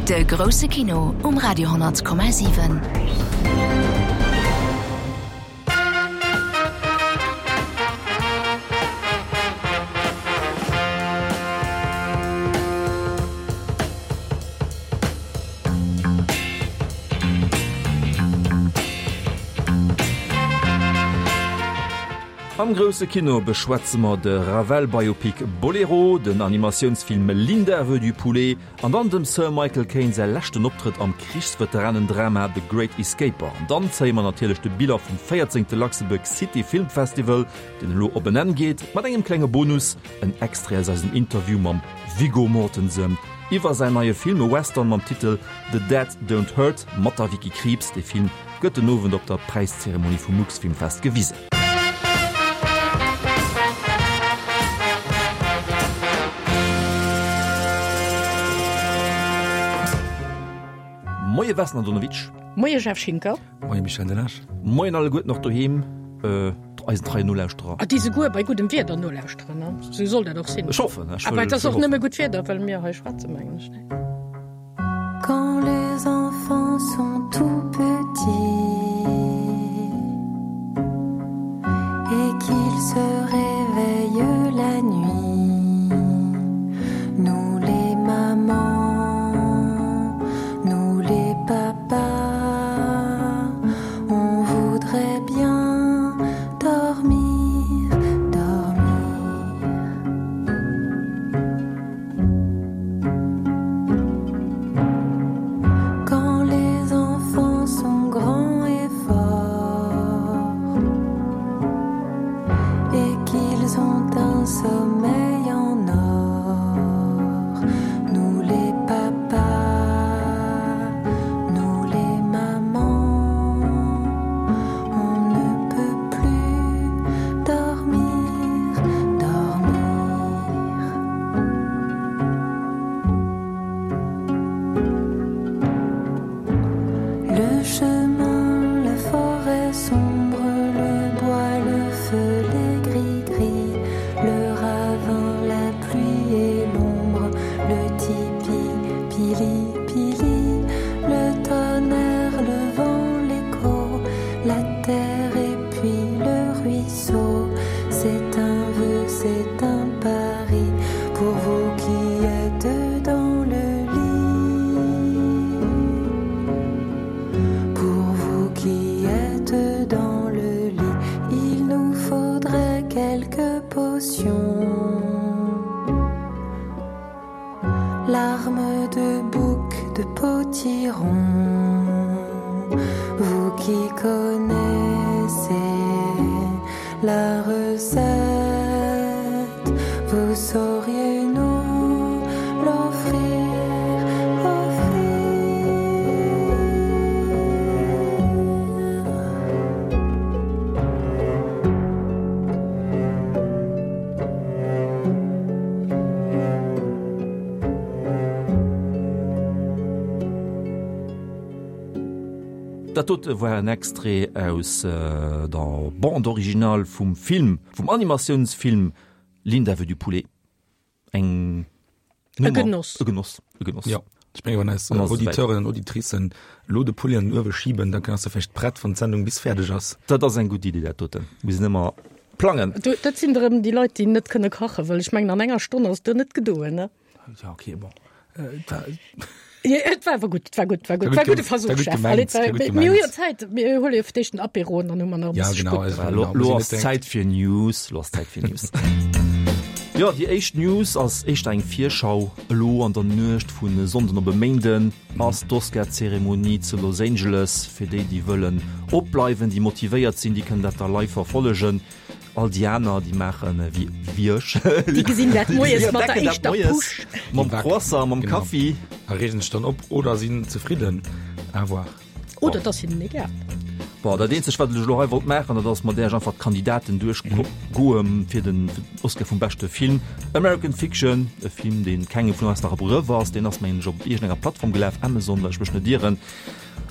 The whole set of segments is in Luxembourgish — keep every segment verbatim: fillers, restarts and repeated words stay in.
De grousse Kino um Radio honnert Komma siwen. Am grousse Kino beschwätze mer de Ravel-Biopic Boléro, den Animatiounsfilm Linda veut du poulet an dann dem Sir Michael Caine säi leschten Optrëtt am Krichsveteranendrama The Great Escaper. An dann zéie mer natierlech de Bilan vum véierzéngte Luxembourg City Film Festival, deen elo op en Enn geet, mat engem klenge Bonus, en Extrait aus eisem Interview mam Viggo Mortensen iwwer säin neie Film, e Western mam Titel The Dead Don't Hurt mat der Vicky Krieps. Dee Film gëtt den Owend op der Präiszeremonie vum Luxfilmfest gewisen. Moie Vesna Donowitsch. Moie Jeff Schinker. Moie Michel Delage. Moien alleguerten och doheem, eisen treien Nolauschterer. A déi souguer bei guddem Wieder nolauschteren, ne? Sou soll dat och sinn. Ech hoffen, ech Awer et ass och hoffen. nëmme gutt Wieder, well mir hei schwätzen, mengen ech, ne? Quand les enfants sont tout petits et qu'ils se réveillent la nuit, nous les mamans, nous les papas, on voudrait bien dormir, dormir. Quand les enfants sont grands et forts et qu'ils ont un sommeil en or, nous les papas, nous les mamans, on ne peut plus dormir, dormir. Le chemin, la forêt sombre, le bois, le feu, les gris-gris, le ravin, la pluie et l'ombre, le tipi, pili, pili, le tonnerre, le vent, l'écho, la terre et puis le ruisseau. C'est un vœu, c'est un pari pour vous qui êtes dans le lit. Pour vous qui êtes dans le lit, il nous faudrait quelques potions. Larmes de bouc, de potiron, vous qui connaissez la recette, vous sauriez nous l'offrir, offrir. Dat dote war en Extrait aus der Bande originale vum Film, vum Animatiounsfilm Linda veut du poulet. Eng E Genoss. E Genoss, e Genoss. Jo, ech mengen, wann eis An ass et Auditeuren an Auditricen elo de Poulet an den Uewe schiben, da ass e vläicht prett, wann d'Sendung bis fäerdeg ass. Dat ass eng gutt Iddi, dat doten. Mir sinn ëmmer plangen. Du, dat sinn erëm déi Leit, déi net kënne kachen, well ech mengen, an enger Stonn ass do net gedoen, ne? Ja, okay, bon. Äh, da, Ja, et war awer gutt, et war gutt, war gutt, War war gutt gudde gem- Versuch, war gutt Chef. gemengt, Allez, war gutt mir hu jo gemengt. Zäit, mir huele jo fir d'éischt den Apéro an dann hu mer nach e Ja, bësse genau, Sputt. also- Lo, Genau, lo muss ass een net Zäit fir News, lo ass Zäit fir News. Jo, déi éischt News ass éischter eng Virschau. Elo an der Nuecht vun e Sonnden op e Méinden ass d'Oscar-Zeremonie zu Los Angeles. Fir déi, déi wëllen opbleiwen, déi motivéiert sinn, déi kënnen dat da live verfollegen. All déi aner, déi maachen wéi, wéi ech. Déi gesinn dat moies Déi mat der entdecken dat éischter moies Push. Mam Déi backen. Croissant, mam Genau. Kaffi. A reegen sech dann op oder sinn zefridden. À voir. Oder et ass hinnen egal. Bon, dat eenzegt, wat ech elo hei wollt maachen, dat ass mat Iech einfach d'Kandidaten duerchgoen fir den Oscar vum beschte Film. American Fiction, e Film, dee kengem vun eis nach e Begrëff ass, deen ass, mengen ech, op iergendenger Plattform gelaf, Amazon, well ech mech net ieren.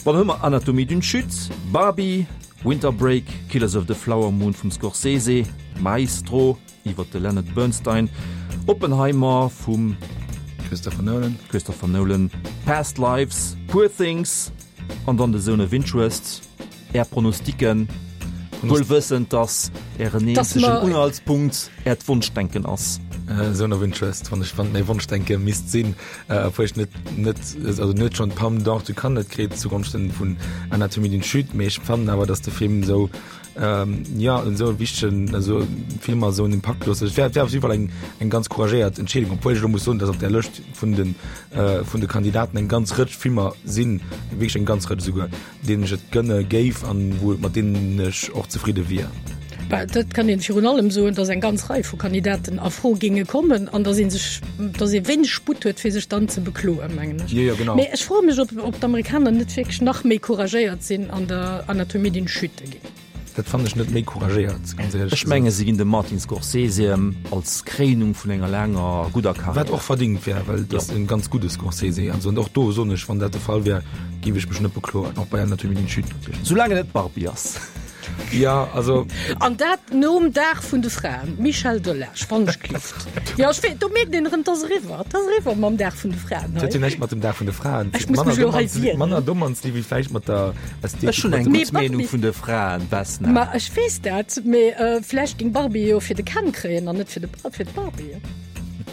Bon, dann hu mer Anatomie d'une chute, Barbie, Winter Break, Killers of the Flower Moon vum Scorsese, Maestro iwwer de Leonard Bernstein, Oppenheimer vum Christopher Nolan. Christopher Nolan, Past Lives, Poor Things an dann The Zone of Interest. Är Pronosticken, wuel wëssend, dass Ären eenzegen Unhaltspunkt Äert Wonschdenken ass. Zone of Interest, wann ech wann mäi Wonschdenke misst sinn, obwuel ech net net also net schonn d'Palme d'Or zu Cannes net kritt zugonschten vun Anatomie d'une chute, mee ech fannen awer, dass de Film esou jo esou e wichtegen esou Filmer esou en Impakt loossen. Et wär wär op jidde Fall eng eng ganz couragéiert Entscheedung, obwuel ech elo muss soen, dass op där Lëscht vun de vun de Kandidaten eng ganz Rëtsch Filmer sinn, wierklech eng ganz Rëtsch esouguer, deenen ech et gënne géif an wou mat deenen ech och zefridde wier. Bah, dat kann een virun allem soen, dass eng ganz Rei vu Kandidaten a Fro géinge kommen an dass ee sech, dass ee wéineg Sputt huet, fir sech dann ze bekloen, mengen ech. Jo, jo, genau. Mee ech froe mech, ob, ob d'Amerikaner net wierklech nach méi couragéiert sinn an der Anatomie d'une chute ginn. Dat fannen ech net méi couragéiert, ganz éierlech Ech menge se ginn dem Martin Scorsese als Kréinung vun enger laanger gudder Karriär. Wat och verdingt wär, well et ass e ganz gudde Scorsese. Also, an och do soen ech, wann dat de Fall wär, géif ech mech net bekloen, och bei Anatomie d'une chute natierlech net. Soulaang et net d'Barbie ass. Ja, also. An dat nom Dag vun de Fraen. Michel Delage, wann ech glift. Jo, ech wee, do mierkt een erëm, 't ass eriwwer, 't ass eriwwer mam Dag vun de Fraen Dat huet hei. jo näischt mat dem Dag vun de Fraen ze Ech muss mech elo hei wieren. Manner domm ze wéi vläicht mat der Ästhetik. Ech hunn eng Mee gutt Meenung Barbie. vun de Fraen, Vesna. Ma ech weess dat, mee vläicht géing Barbie jo fir de Ken kréien an net fir de, fir d'Barbie.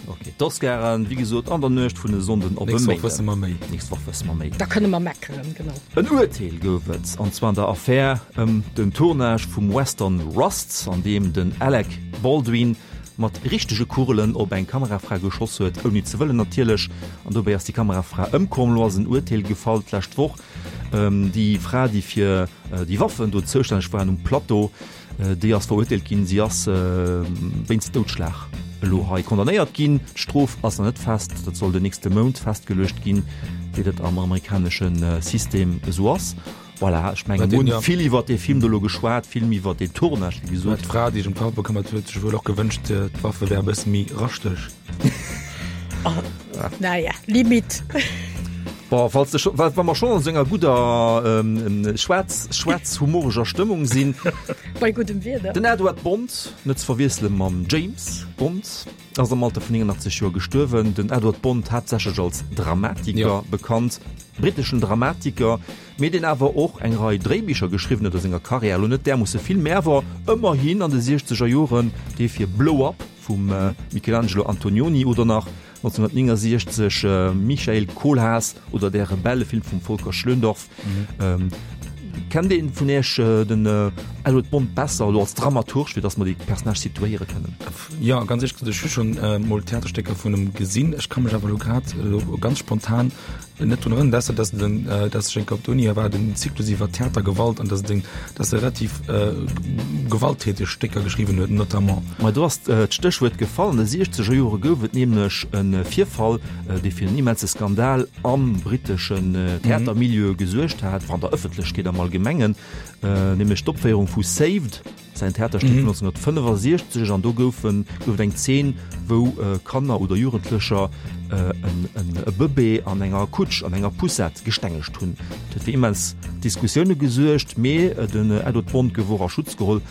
Ok, d'Oscaren, wéi gesot, an der Nuecht vun e Sonnden op e Nächst Woch Méinden. wësse mer méi. Nächst Woch wësse mer méi. Da kënne mer meckeren, genau. En Urteel gouf et, an zwar an der Affär ëm den Tournage vum Western Rust, an deem den Alec Baldwin mat richtege Kugelen op eng Kamerafra geschoss huet, ouni ze wëllen natierlech, an dobäi ass déi Kamerafra ëmkomm. Elo ass en Urteel gefall d'lescht Woch. Déi Fra, déi fir déi Waffen do zoustänneg war um Plateau, déi ass verurteelt ginn. Si ass wéinst Doudschlag elo hei condamnéiert ginn. D'Strof ass nach net fest, dat soll den nächste Mount festgeluecht ginn, wéi dat am amerikanesche System esou ass. Voilà, ech mengen, mir hunn vill iwwert dee Film do elo geschwat, vill méi iwwert deen Tournage, wéi gesot. D'Fra, déi sech ëm d'Waffe bekëmmert huet, sech wuel och gewënscht, d'Waffe wäre e bësse méi raschteg. Naja, limite. Bon, falls de scho, wa mer schonn an esou enger gudder schwaarz, schwaarz-humoreger Stëmmung sinn. Bei guddem Wieder. Den Edward Bond, net ze verwiessele mam James Bond, ass am Alter vun néngundachtzeg Joer gestuerwen. Den Edward Bond, haaptsächlech als Dramatiker bekannt, britteschen Dramatiker, mee deen awer och eng Rei Dréibicher geschriwwen huet a senger Karriär. Elo net därmoosse vill, mee awer ëmmerhin an de siechzeger Joren dee fir Blow Up vum Michelangelo Antonioni oder nach nonzénhunnertnéngasiechzeg Michael Kohlhaas oder Der Rebell, e Film vum Volker Schlöndorff. Kennt een vun Iech den Edward Bond besser elo als Dramaturg, fir datt mer déi Personnage situéiere kënnen? Jo, ganz éierlech gesot, ech hu schonn mol Theaterstécker vun em gesinn. Ech ka mech awer elo grad elo ganz spontan net drun erënneren, ausser dass den, dass ech eng Kéier op der Uni war, den Zyklus iwwer Theatergewalt an dass den, dass e relativ gewalttäteg Stécker geschriwwen huet, notamment. Ma do ass d'Stéchwuert gefall. An de siechzeger Jore gouf et nämlech e Virfall, dee fir en immense Skandal am britteschen Theatermilieu gesuergt hat, an der Ëffentlechkeet am Allgemengen, nämlech d'Opféierung vu Saved, säin Theaterstéck vun nonzénhunnertfënnefasiechzeg, an do goufen, gouf et eng Zeen, wou Kanner oder Jugendlecher e Bëbee an enger Kutsch, an enger Poussette gestengegt hunn. Dat huet fir immens Diskussioune gesuergt, mee den Edward Bond gouf och a Schutz geholl,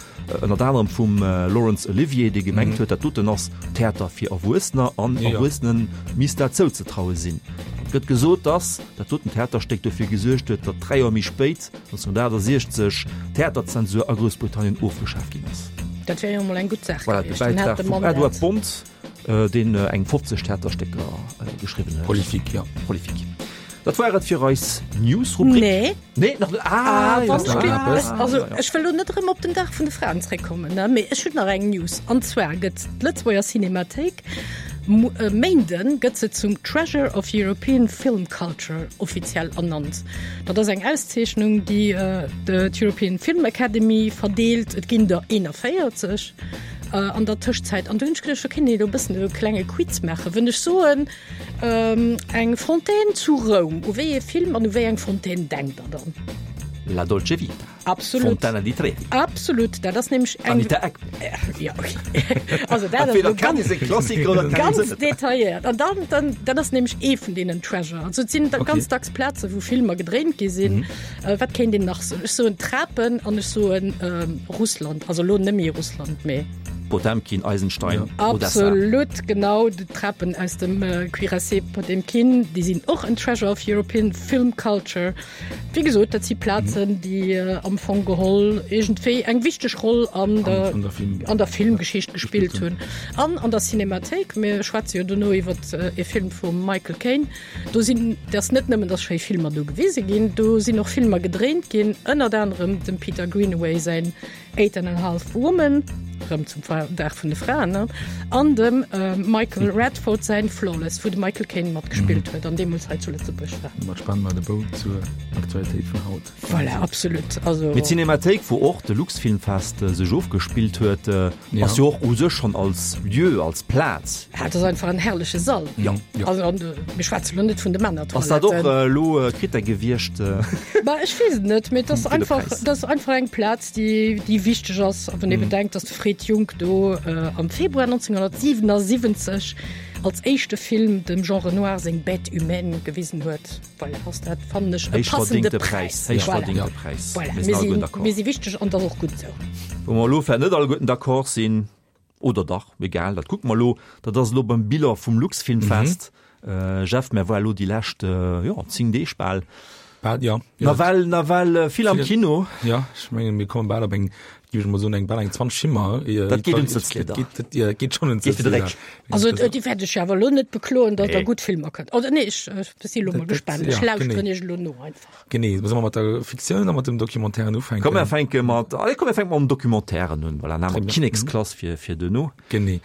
ënnert anerem vum Laurence Olivier, dee gemengt huet, dat doten ass Theater fir Erwuessener an Erwuessene misst dat zouzetraue sinn. Et gëtt gesot, datt dat doten Theaterstéck dofir gesuergt huet, datt dräi Joer méi spéit, nonzénhunnertaachtasechzeg, d'Theaterzensur a Groussbritannien ofgeschaaft ginn ass. Dat wär jo emol eng gutt Saach Voilà, de gewiescht. Dann Bäitrag hat de vum Mann dat. Edward Bond, deen eng fofzeg Theaterstécker geschriwwen huet. Prolifique, jo. Prolifique. Dat war et fir eis News-Rubrik. Nee. Nee, nach net. Ah, Ah, jo, wann nach ech eppes. eppes. Also, ech wëll lo net erëm op den Dag vun de Fraen zréckkommen, ne, mee ech hunn nach eng News. An zwar gëtt d'Lëtzebuerger Cinemathéik E Méinden gëtt se zum Treasure of European Film Culture offiziell ernannt. Dat ass eng Auszeechnung, déi d'European Film Academy verdeelt. Et ginn der eenanvéierzeg an der Tëschzäit. An do hunn ech geduecht, do kéint een elo e bëssen e klenge Quiz maachen. Wënn ech soen, eng Fontaine zu Roum, u wéi ee Film an u wéi eng Fontaine denkt Der dann? La Dolce Vita. Absolut. Fontana di Trevi. Absolut, dat ass nämlech eng. Anita Ekberg. Ja, okay. Also dat ass Entweder elo kann ganz, ee seng Klassiker oder kann ee se ganz net. detailléiert. An dann, dann, dat ass nämlech ee vun deenen Treasure. Also et sinn da Okay. ganz dacks Plaze wou Filmer gedréint gi sinn. Äh, wat kéint een nach soen? Ech soen Trapen an ech soen ähm, Russland. Also elo net méi Russland, mee. Potemkin, Eisenstein, Odessa. Absolut, genau, d'Trapen aus dem Cuirassé Potemkin, déi sinn och en Treasure of European Film Culture. Wéi gesot, dat si Plazen, déi am Fong geholl iergendwéi eng wichteg Roll an der, an der Filmgeschicht gespillt hunn. An an der Cinemathéik, mir schwätze jo dono iwwer e Film vum Michael Caine, do sinn, dat ass net nëmmen, datt schéi Filmer do gewise ginn, do sinn och Filmer gedréint ginn, ënnert anerem dem Peter Greenaway säin Eight and a Half Women, rëm zum Dag vun de Fraen, ne? An dem Michael Radford säin Flawless, wou de Michael Caine matgespillt huet an deemools hei zu Lëtzebuerg war. Domat spannen mer de Bou zur Aktualitéit vun haut. Voilà, absolut. Also. Mee d'Cinémathéik, wou och de Luxfilmfest sech ofgespillt huet, ass jo och u sech schonn als Lieu, als Plaz. Ja, et ass einfach en herrleche Sall. Jo. Also, an mir schwätze lo net vun de Männertoiletten. Ass dat och elo Krittär gewiescht? Bah, ech weess et net, mee et ass einfach, et ass einfach eng Plaz, déi, déi wichteg ass. A wann ee bedenkt, datt de Fred Junck do am Februar neunzehnhundertsiewenundsiebzig als éischte Film dem Jean Renoir seng Bête humaine gewisen huet, voilà, ass dat, fannen ech, e passende Präis. Héich verdingte Präis. Voilà, mir sinn, mir si wichteg an dat ass och gutt esou. Wou mer elo vläicht net alleguerten d'accord sinn, oder dach, egal, dat kucke mer elo, dat ass elo beim Bilan vum Luxfilmfest. Jeff, mer war elo déi lescht, jo, zéng Deeg bal. Bal, jo. Nawell, nawell vill am Kino. Jo, ech mengen, mir komme bal op eng, géif ech mol soen, eng bal eng zwanzeg Schimmer. Dat geet un d'Sëtzlieder. Dat geet schonn un d'Sëtzlieder. Also, déi wäert ech jo awer elo net bekloen, datt der gutt Filmer kënnt. Oder nee, ech si elo mol gespaant. Ech lauschteren iech elo no einfach. Genee. Solle mer mat der Fiktioun oder mat dem Documentairen ufänken? Komm, mer fänke mat, allez, komm, mer fänke mam Documentairen un. Voilà, dann hu mer d'Kinneksklass fir, fir duerno. Genee.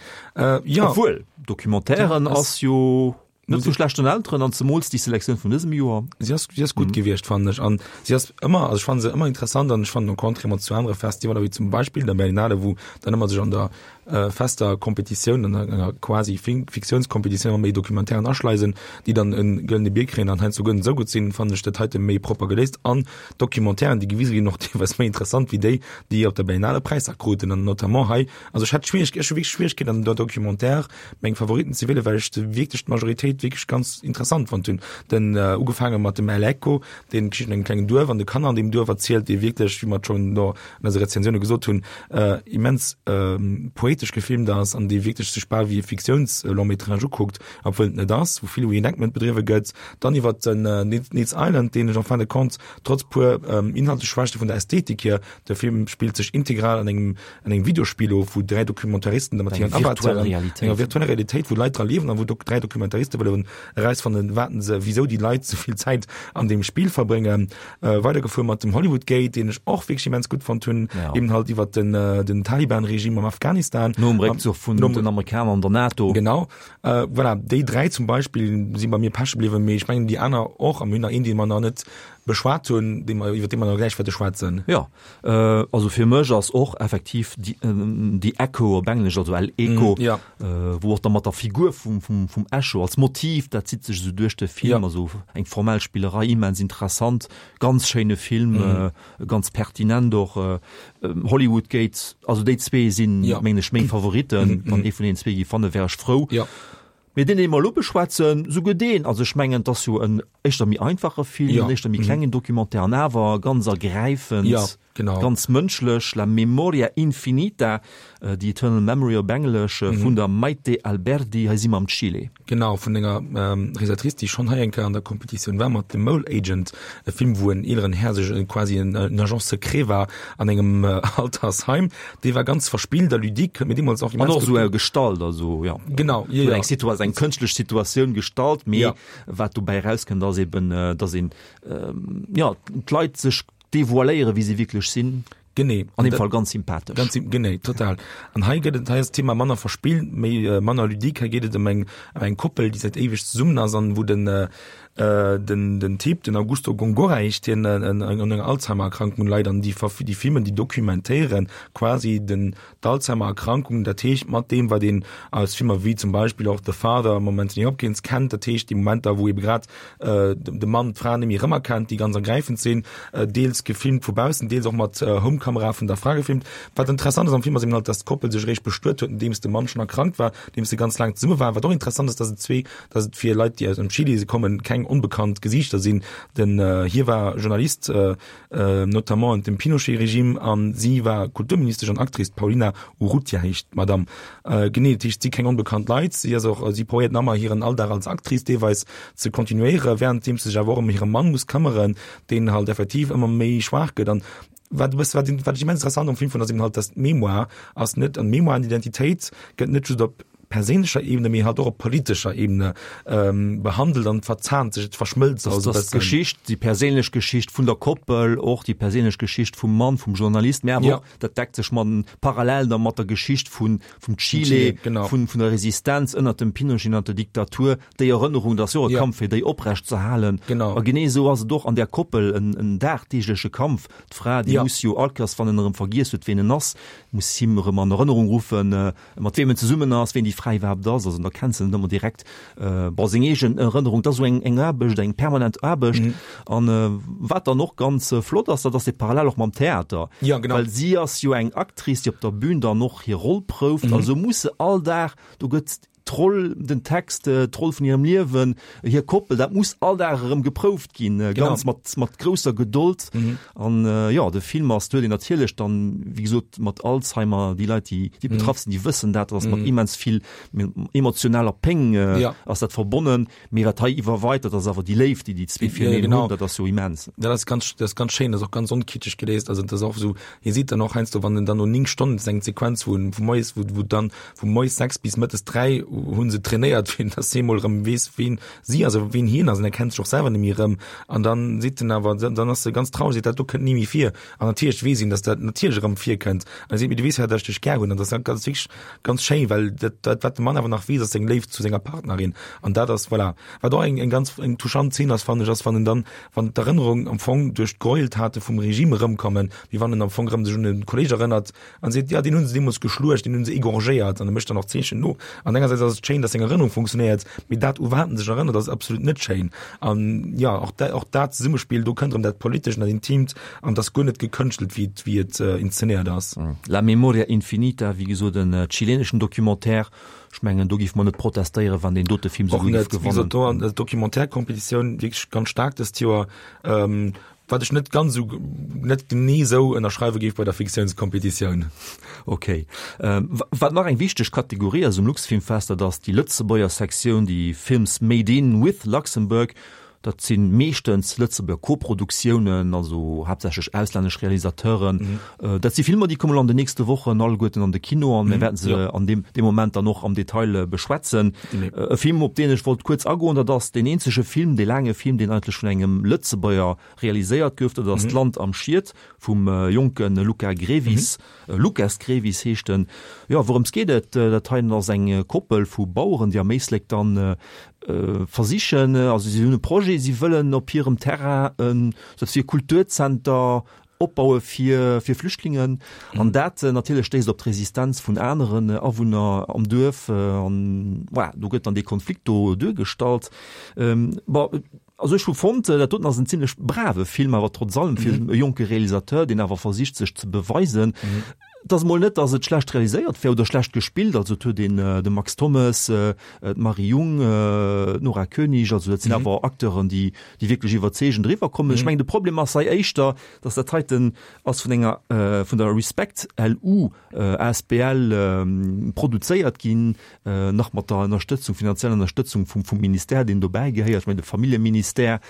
Jo. Obwuel, Documentairen ass jo. Net vu schlechten Elteren, an zemools déi Selektioun vun dësem Joer. Si ass, si ass gutt gewiescht, fannen ech. An si ass ëmmer, also ech fannen se ëmmer interessant an ech fannen au contraire mat zu anere Festivaler wéi zum Beispill der Berlinale, wou dann ëmmer sech an der äh, fester Kompetitioun, an enger quasi Fiktiounskompetitioun ëmmer méi Documentairen aschleisen, déi dann en gëllene Bier kréien an heiansdo guer net esou gutt sinn, fannen ech dat heite méi propper geléist. An d'Documentairen, déi gewise ginn, och deelweis méi interessant wéi déi, déi op der Berlinale Präisser kruten. An notamment hei, also ech hat Schwierig, ech hu wierklech Schwieregkeeten an der Documentaire meng Favoriten ze wielen, well ech se wierklech d'Majoritéit wierklech ganz interessant fonnt hunn. Den äh, ugefaange mat dem El Echo, deen d'Geschicht vun engem klengen Duerf an de Kanner an deem Duerf erzielt, dee wierklech, wéi mer et schonn do an eise Rezensioune gesot hunn, äh, immens äh, poetesch gefilmt ass an dee wierklech sech bal wéi e Fiktiouns-Long-métrage ukuckt, obwuel et net ass, wou vill Reenactment bedriwwe gëtt. Dann iwwer den äh, Needs Island, deen ech en fin de compte trotz puer ähm, inhaltlech Schwächte vun der Ästhetik hier, de Film spillt sech integral an engem an engem Videospill of, wou dräi Dokumentaristen da mat hiren Avataren, enger virtueller Realitéit, wou Leit dra liewen an wou dok dräi Dokumentariste wëllen erausfannen, wat se, wisou déi Leit sou vill Zäit an deem Spill verbréngen. Äh, weidergefuer mat dem Hollywood Gate, deen ech och wierklech immens gutt fonnt hunn, Ja. eben halt iwwer den, äh, den Taliban-Regime am Afghanistan. Nom Réckzuch vun den Amerikaner an der NATO. Genau. Äh, voilà, déi dräi zum Beispill si bei mir peche bliwwen, mee ech mengen déi aner och, a mir hunn nach een, dee mer nach net beschwat hunn, dee mer, iwwer dee mer nach gläich wäerte schwätzen. Jo, also fir mech ass och effektiv The Echo op Englesch, also El Eco, mm, ja. wou och da mat der Figur vum, vum, vum Echo als Motiv, dat zitt sech esou duerch de Film, ja. also eng formell Spillerei, immens interessant, ganz schéine Film, mm. ganz pertinent och. Hollywood Gate, also déi zwee sinn, ja. mengen ech, meng Favoritten. Mm, Wann ee vun deenen zwee géif fannen, wär ech frou. Ja. Mee deen, dee mer elo beschwätzen, souguer deen, also ech mengen, et ass jo en éischter méi einfache Film, Ja. en éischter méi klengen Documentaire an awer ganz ergräifend, Ja, genau. ganz mënschlech, La memoria infinita, The Eternal Memory op Englesch, vun der Maite Alberdi, hei si mer am Chile. Genau, vun enger Realisatrice, déi schonn hei eng Kéier an der Competitioun war, mat The Mole Agent, e Film, wou en eeleren Här sech quasi en Agent secret war an engem Altersheim. Dee war ganz verspillt a ludique, huet mir deemools och An immens och gutt esou gestalt, also jo, Genau, jo, huet jo. eng Situa eng kënschtlech Situatioun gestalt, mee Ja. wat dobäi erauskënnt, ass eben, dass een, jo, d'Leit sech devoiléieren, wéi se wierklech sinn. Genee. An deem Fall ganz sympathesch. Ganz sym genee, total. An hei gëtt et, hei ass d'Thema manner verspillt, méi, manner ludique. Hei geet et ëm eng, ëm eng Koppel, déi säit éiweg zesummen ass an wou den, den, den Typ, den Augusto Góngora heescht hien, un enger Alzheimer-Erkrankung leit an déi verf déi filmen, déi dokumentéieren quasi den, d'Alzheimer-Erkrankung, dat heescht mat deem, wat een aus Filmer wéi zum Beispill och The Father mam Anthony Hopkins kennt, dat heescht déi Momenter, wou ebe grad de Mann d'Fra net méi erëmerkennt, déi ganz ergräifend sinn, deels gefilmt vu baussen, deels och mat Home Filmkamera vun der Fra gefilmt. Wat interessant ass am Film ass eben halt, dass d'Koppel sech eréischt bestuet huet, nodeems de Mann schonn erkrankt war, nodeems se ganz laang zesumme waren. Wat och interessant ass, dass et zwee, dass et fir Leit, déi aus dem Chile kommen, keng onbekannt Gesiichter sinn. Den hie war Journalist, notamment ënnert dem Pinochet-Regime, an si war Kulturministesch an Actrice, d'Paulina Urrutia heescht d'Madame. Genee, dat heescht, et si keng onbekannt Leit. Si ass och, si probéiert nach ëmmer hiren Alldag als Actrice deelweis ze kontinuéieren, wärenddeems se sech awer och ëm hire Mann muss këmmeren, deen halt effektiv ëmmer méi schwaach gëtt. An wat e bësse, wat wat ech immens interessant am Film fonnt, ass eben halt, dass d'Mémoire ass net, an d'Mémoire an d'Identitéit gëtt net just op perséinlecher Ebene, mee halt och op politescher Ebene behandelt an verzahnt sech, et verschmëlzt also e bëssen. D'Geschicht, déi perséinlech Geschicht vun der Koppel, och déi perséinlech Geschicht vum Mann, vum Journalist, mee awer och, dat deckt sech mat parallel da mat der Geschicht vun, vum Chile, vun, vun der Resistenz ënnert dem Pinochet, ënnert der Diktatur, déi Erënnerung, dat ass jo och e Kampf fir déi oprecht ze halen. A genee esou ass et och an där Koppel en, en dagdeegleche Kampf. D'Fra, déi muss jo all Kéiers, wann en erëm vergiess huet, ween en ass, muss him erëm an Erënnerung ruffen, mat weem en zesummen ass, ween déi Fra iwwerhaapt ass. Also da kennt se net ëmmer direkt, bon, seng eegen Erënnerung. Dat ass esou eng, eng Aarbecht, eng permanent Aarbecht. An wat dann och ganz flott ass, dat ass dee Parallel och mam Theater. Ja, genau. Well si ass jo eng Actrice, déi op der Bühn dann och hir Roll prouft. Also muss se all Dag, do gëtt d'Roll, den Text, d'Roll vun hirem Liewen, hir Koppel, dat muss all Dag erëm geprouft ginn, ganz mat, mat grousser Gedold. An jo, de Film ass, do huet een natierlech dann, wéi gesot, mat Alzheimer, déi Leit, déi, déi betraff sinn, déi wëssen dat, dat ass mat immens vill emotionaler Péng ass dat verbonnen. Mee wat hei iwwerweit, dat ass awer déi Léift, déi déi zwee fireneen hunn, dat ass jo immens. Dat ass ganz, dat ass ganz schéin, dat ass och ganz onkitscheg geléist. Also dat ass och esou, hie seet dann och heiansdo, wann en dann no néng Stonnen, dat ass eng Sequenz, wou en vu moies, wou, wou dann vu moies sechs bis mëttes dräi hu se trainéiert, fir dass hie mol erëm weess, wien si ass, wien hien ass, an er kennt sech och selwer net méi erëm. An dann seet en awer, dann ass e ganz traureg, seet, dat do kënnt ni méi vir. An natierlech weess een, dass dat natierlech erëm virkënnt. An e seet, mee du weess jo, dass ech dech gär hunn. An dat ass ganz wierklech ganz schéin, well dat, dat wat de Mann awer nach weess, ass seng Léift zu senger Partnerin. An dat ass, voilà. Wat och eng, eng ganz eng touchant Zeen ass, fannen ech, ass, wann en dann, wann d'Erënnerung am Fong duerch d'Gräueltate vum Regime erëmkommen, wéi wann en am Fong erëm sech un e Kolleeg erënnert an seet, jo, deen hu se deemools geschluecht, deen hu se égorgéiert. An e mécht dann och Zeechen no. An engersäits ass et schéin, dass seng Erënnerung funktionéiert, mee dat, u wat en sech erënnert, ass absolut net schéin. An jo, och dat, och dat Zesummespill, do kënnt erëm dat Politescht an dat Intimt an et ass guer net gekënschtelt, wéi et, wéi et inszenéiert ass. La memoria infinita, wéi gesot en chileneschen Documentaire. Ech mengen, do géife mer net protestéieren, wann deen dote Film souguer géif gewannen. Och net. Wéi gesot, do an der Documentaire-Competitioun wierklech ganz staark dëst Joer. Wat ech net ganz esou, net genee esou ënnerschreiwe géif bei der Fiktiounskompetitioun. Ok. Wat nach eng wichteg Kategorie ass um Luxfilmfest, dat ass déi Lëtzebuerger Sektioun, déi Films made in with Luxembourg. Dat si meeschtens Lëtzebuerger Koproduktiounen, also haaptsächlech auslännesch Realisateuren. Dat si Filmer, déi kommen elo an den nächste Wochen alleguerten an de Kino an mir wäerten se an deem deem Moment dann och am Detail beschwätzen. E Film, op deen ech wollt kuerz agoen, dat ass deen eenzege Film, dee laange Film, deen eigentlech vun engem Lëtzebuerger realiséiert gouf, dat ass D'Land am Schiet vum jonke Luca Grevis, Lucas Grevis heescht en. Jo, wourëms geet et? Dat heien ass eng Koppel vu Baueren, déi am Éislek dann versichen, also si hunn e Projet, si wëllen op hirem Terrain en sou e Kulturzenter opbaue fir fir Flüchtlingen. An dat natierlech stéisst op d'Resistenz vun aneren Awunner am Duerf an voilà, do gëtt dann dee Konflikt do duergestallt. Bon, also ech hu fonnt, dat doten ass en zimlech brave Film, awer trotz allem fir e jonke Realisateur, deen awer versicht sech ze beweisen. Et ass emol net, datt et schlecht realiséiert wär oder schlecht gespillt. Also et huet een de Max Thommes, d'Marie Jung, d'Nora Koenig, also dat sinn awer Acteuren, déi déi wierklech iwwerzeegend eriwwer kommen. Ech mengen de Problem ass hei éischter, datt dat heiten ass vun enger vun der Respect LU asbl produzéiert ginn, nach mat der Ënnerstëtzung, finanzieller Ënnerstëtzung vum vum Ministère, deen dobäi gehéiert, ech mengen de Familljeministère.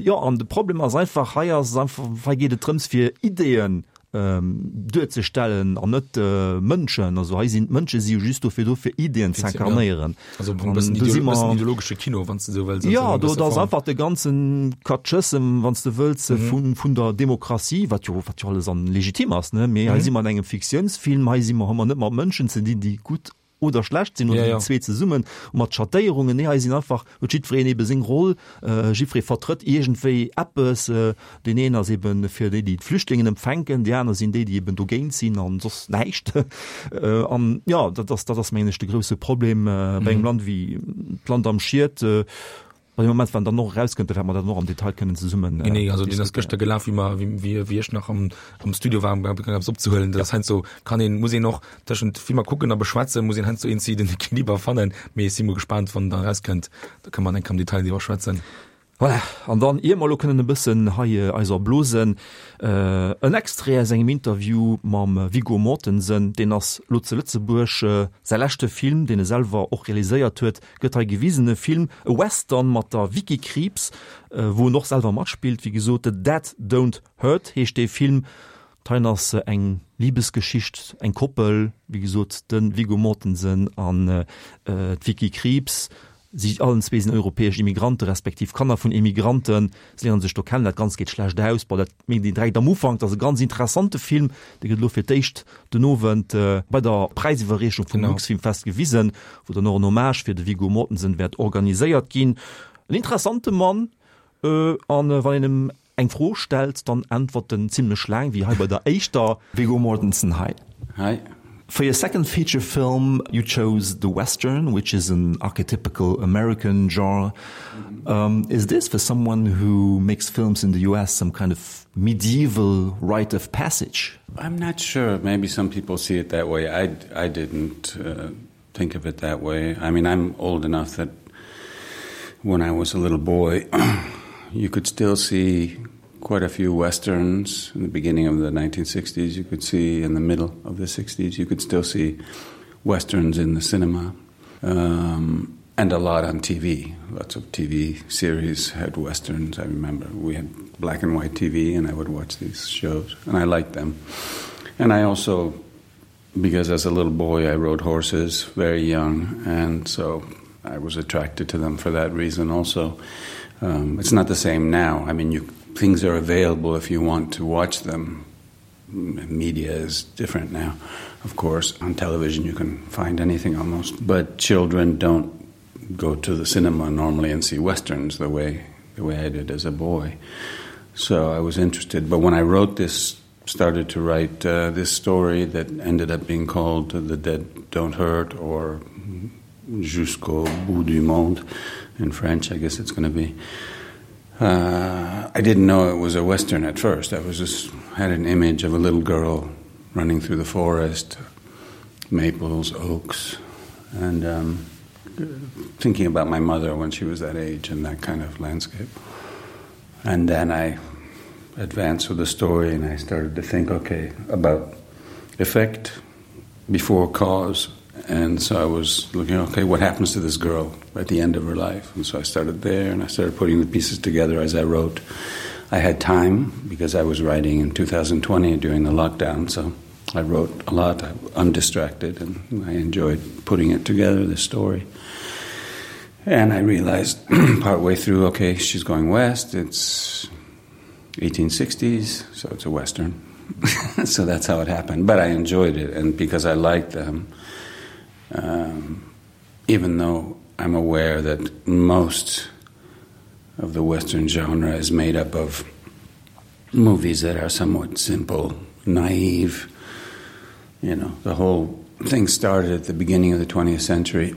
Jo, an de Problem ass einfach, hei ass et einfach, hei geet et drëms fir Ideeën duerzestellen an net Mënschen. Also hei sinn d'Mënsche si jo just dofir do fir Ideeën ze inkarnéieren. Also e bëssen ideologesche Kino, wann s de esou wëlls. Jo, do ass einfach de ganze Katschëssem, wann s de wëlls, vun vun der Demokratie, wat jo wat jo alles an legitim ass, ne, mee hei si mer an engem Fiktiounsfilm, hei si mer, hu mer net mat Mënschen ze dinn, déi gutt oder schlecht sinn oder déi zwee zesummen mat Schattéierungen. Nee, hei sinn einfach, huet jiddwereen ebe seng Roll, jiddweree vertrëtt iergendwéi eppes. Deen een ass eben fir déi, déi d'Flüchtlingen empfänken, déi aner sinn déi, déi eben dogéint sinn an soss näischt. An jo, dat ass, dat ass mengen ech de grousse Problem bei engem Land wéi d'Land am Schiet. Bei dem Moment wann dann och erauskënnt, da wäerte mer dat och am Detail kënnen zesummen äh, nee, also deen ass gëschter gelaf, wéi mer, wéi, wéi, wéi ech nach am, am Studio war, um eppes opzehuelen. Dat ass heiansdo kann een, muss een och tëschent Filmer kucken a beschwätzen, muss een heiansdo eenzi den Equiliber fannen. Mee ech si mol gespaant, wann en dann erauskënnt, da kënne mer enk am Detail driwwer schwätzen. Voilà, an dann ier mer elo kënnen e bëssen hei eis erblosen, en Extrait aus engem Interview mam Viggo Mortensen, deen ass lo zu Lëtzebuerg, säi leschte Film, deen e selwer och realiséiert huet, gëtt hei gewisen, e Film, e Western mat der Vicky Krieps, wou en och selwer matspillt, wéi gesot, The Dead Don't Hurt heescht dee Film. D'heien ass eng Libesgeschicht, eng Koppel, wéi gesot, de Viggo Mortensen an d'Vicky Krieps. Si allen zwee sinn europäesch Immigrante respektiv Kanner vun Immigranten. Si léieren sech do kennen. Dat Ganzt geet schlecht aus. Bon, dat mierkt een direkt am Ufank. Dat ass e ganz interessante Film. Dee gëtt elo fir d'éischt den Owend bei der Präisiwwerreechung vum Luxfilmfest gewisen, wou dann och en Hommage fir de Viggo Mortensen wäert organiséiert ginn. En interessante Mann. An wann een em eng Fro stellt, dann äntwert en zimlech laang, wéi hei bei der éischter. Viggo Mortensen, hi. Hi. For your second feature film, you chose the Western, which is an archetypical American genre. Um, is this for someone who makes films in the U S some kind of medieval rite of passage? I'm not sure. Maybe some people see it that way. I, I didn't uh, think of it that way. I mean, I'm old enough that when I was a little boy, you could still see quite a few westerns in the beginning of the nineteen sixties. You could see in the middle of the sixties, you could still see westerns in the cinema um, and a lot on T V. Lots of T V series had westerns. I remember we had black and white T V and I would watch these shows and I liked them. And I also, because as a little boy I rode horses very young, and so I was attracted to them for that reason also. Um, it's not the same now. I mean, you things are available if you want to watch them. Media is different now, of course. On television you can find anything almost, but children don't go to the cinema normally and see westerns the way the way I did as a boy. So I was interested, but when I wrote this, started to write uh, this story that ended up being called The Dead Don't Hurt or Jusqu'au bout du monde in French, I guess it's going to be. Uh, I didn't know it was a western at first. I was just had an image of a little girl running through the forest, maples, oaks, and um, thinking about my mother when she was that age and that kind of landscape. And then I advanced with the story and I started to think, okay, about effect before cause. And so I was looking, okay, what happens to this girl at the end of her life? And so I started there and I started putting the pieces together as I wrote. I had time because I was writing in two thousand twenty during the lockdown, so I wrote a lot, I, undistracted, and I enjoyed putting it together, this story. And I realized partway through, okay, she's going west, it's eighteen sixties, so it's a western. So that's how it happened. But I enjoyed it, and because I liked them, um, even though I'm aware that most of the western genre is made up of movies that are somewhat simple, naive. You know, the whole thing started at the beginning of the twentieth century,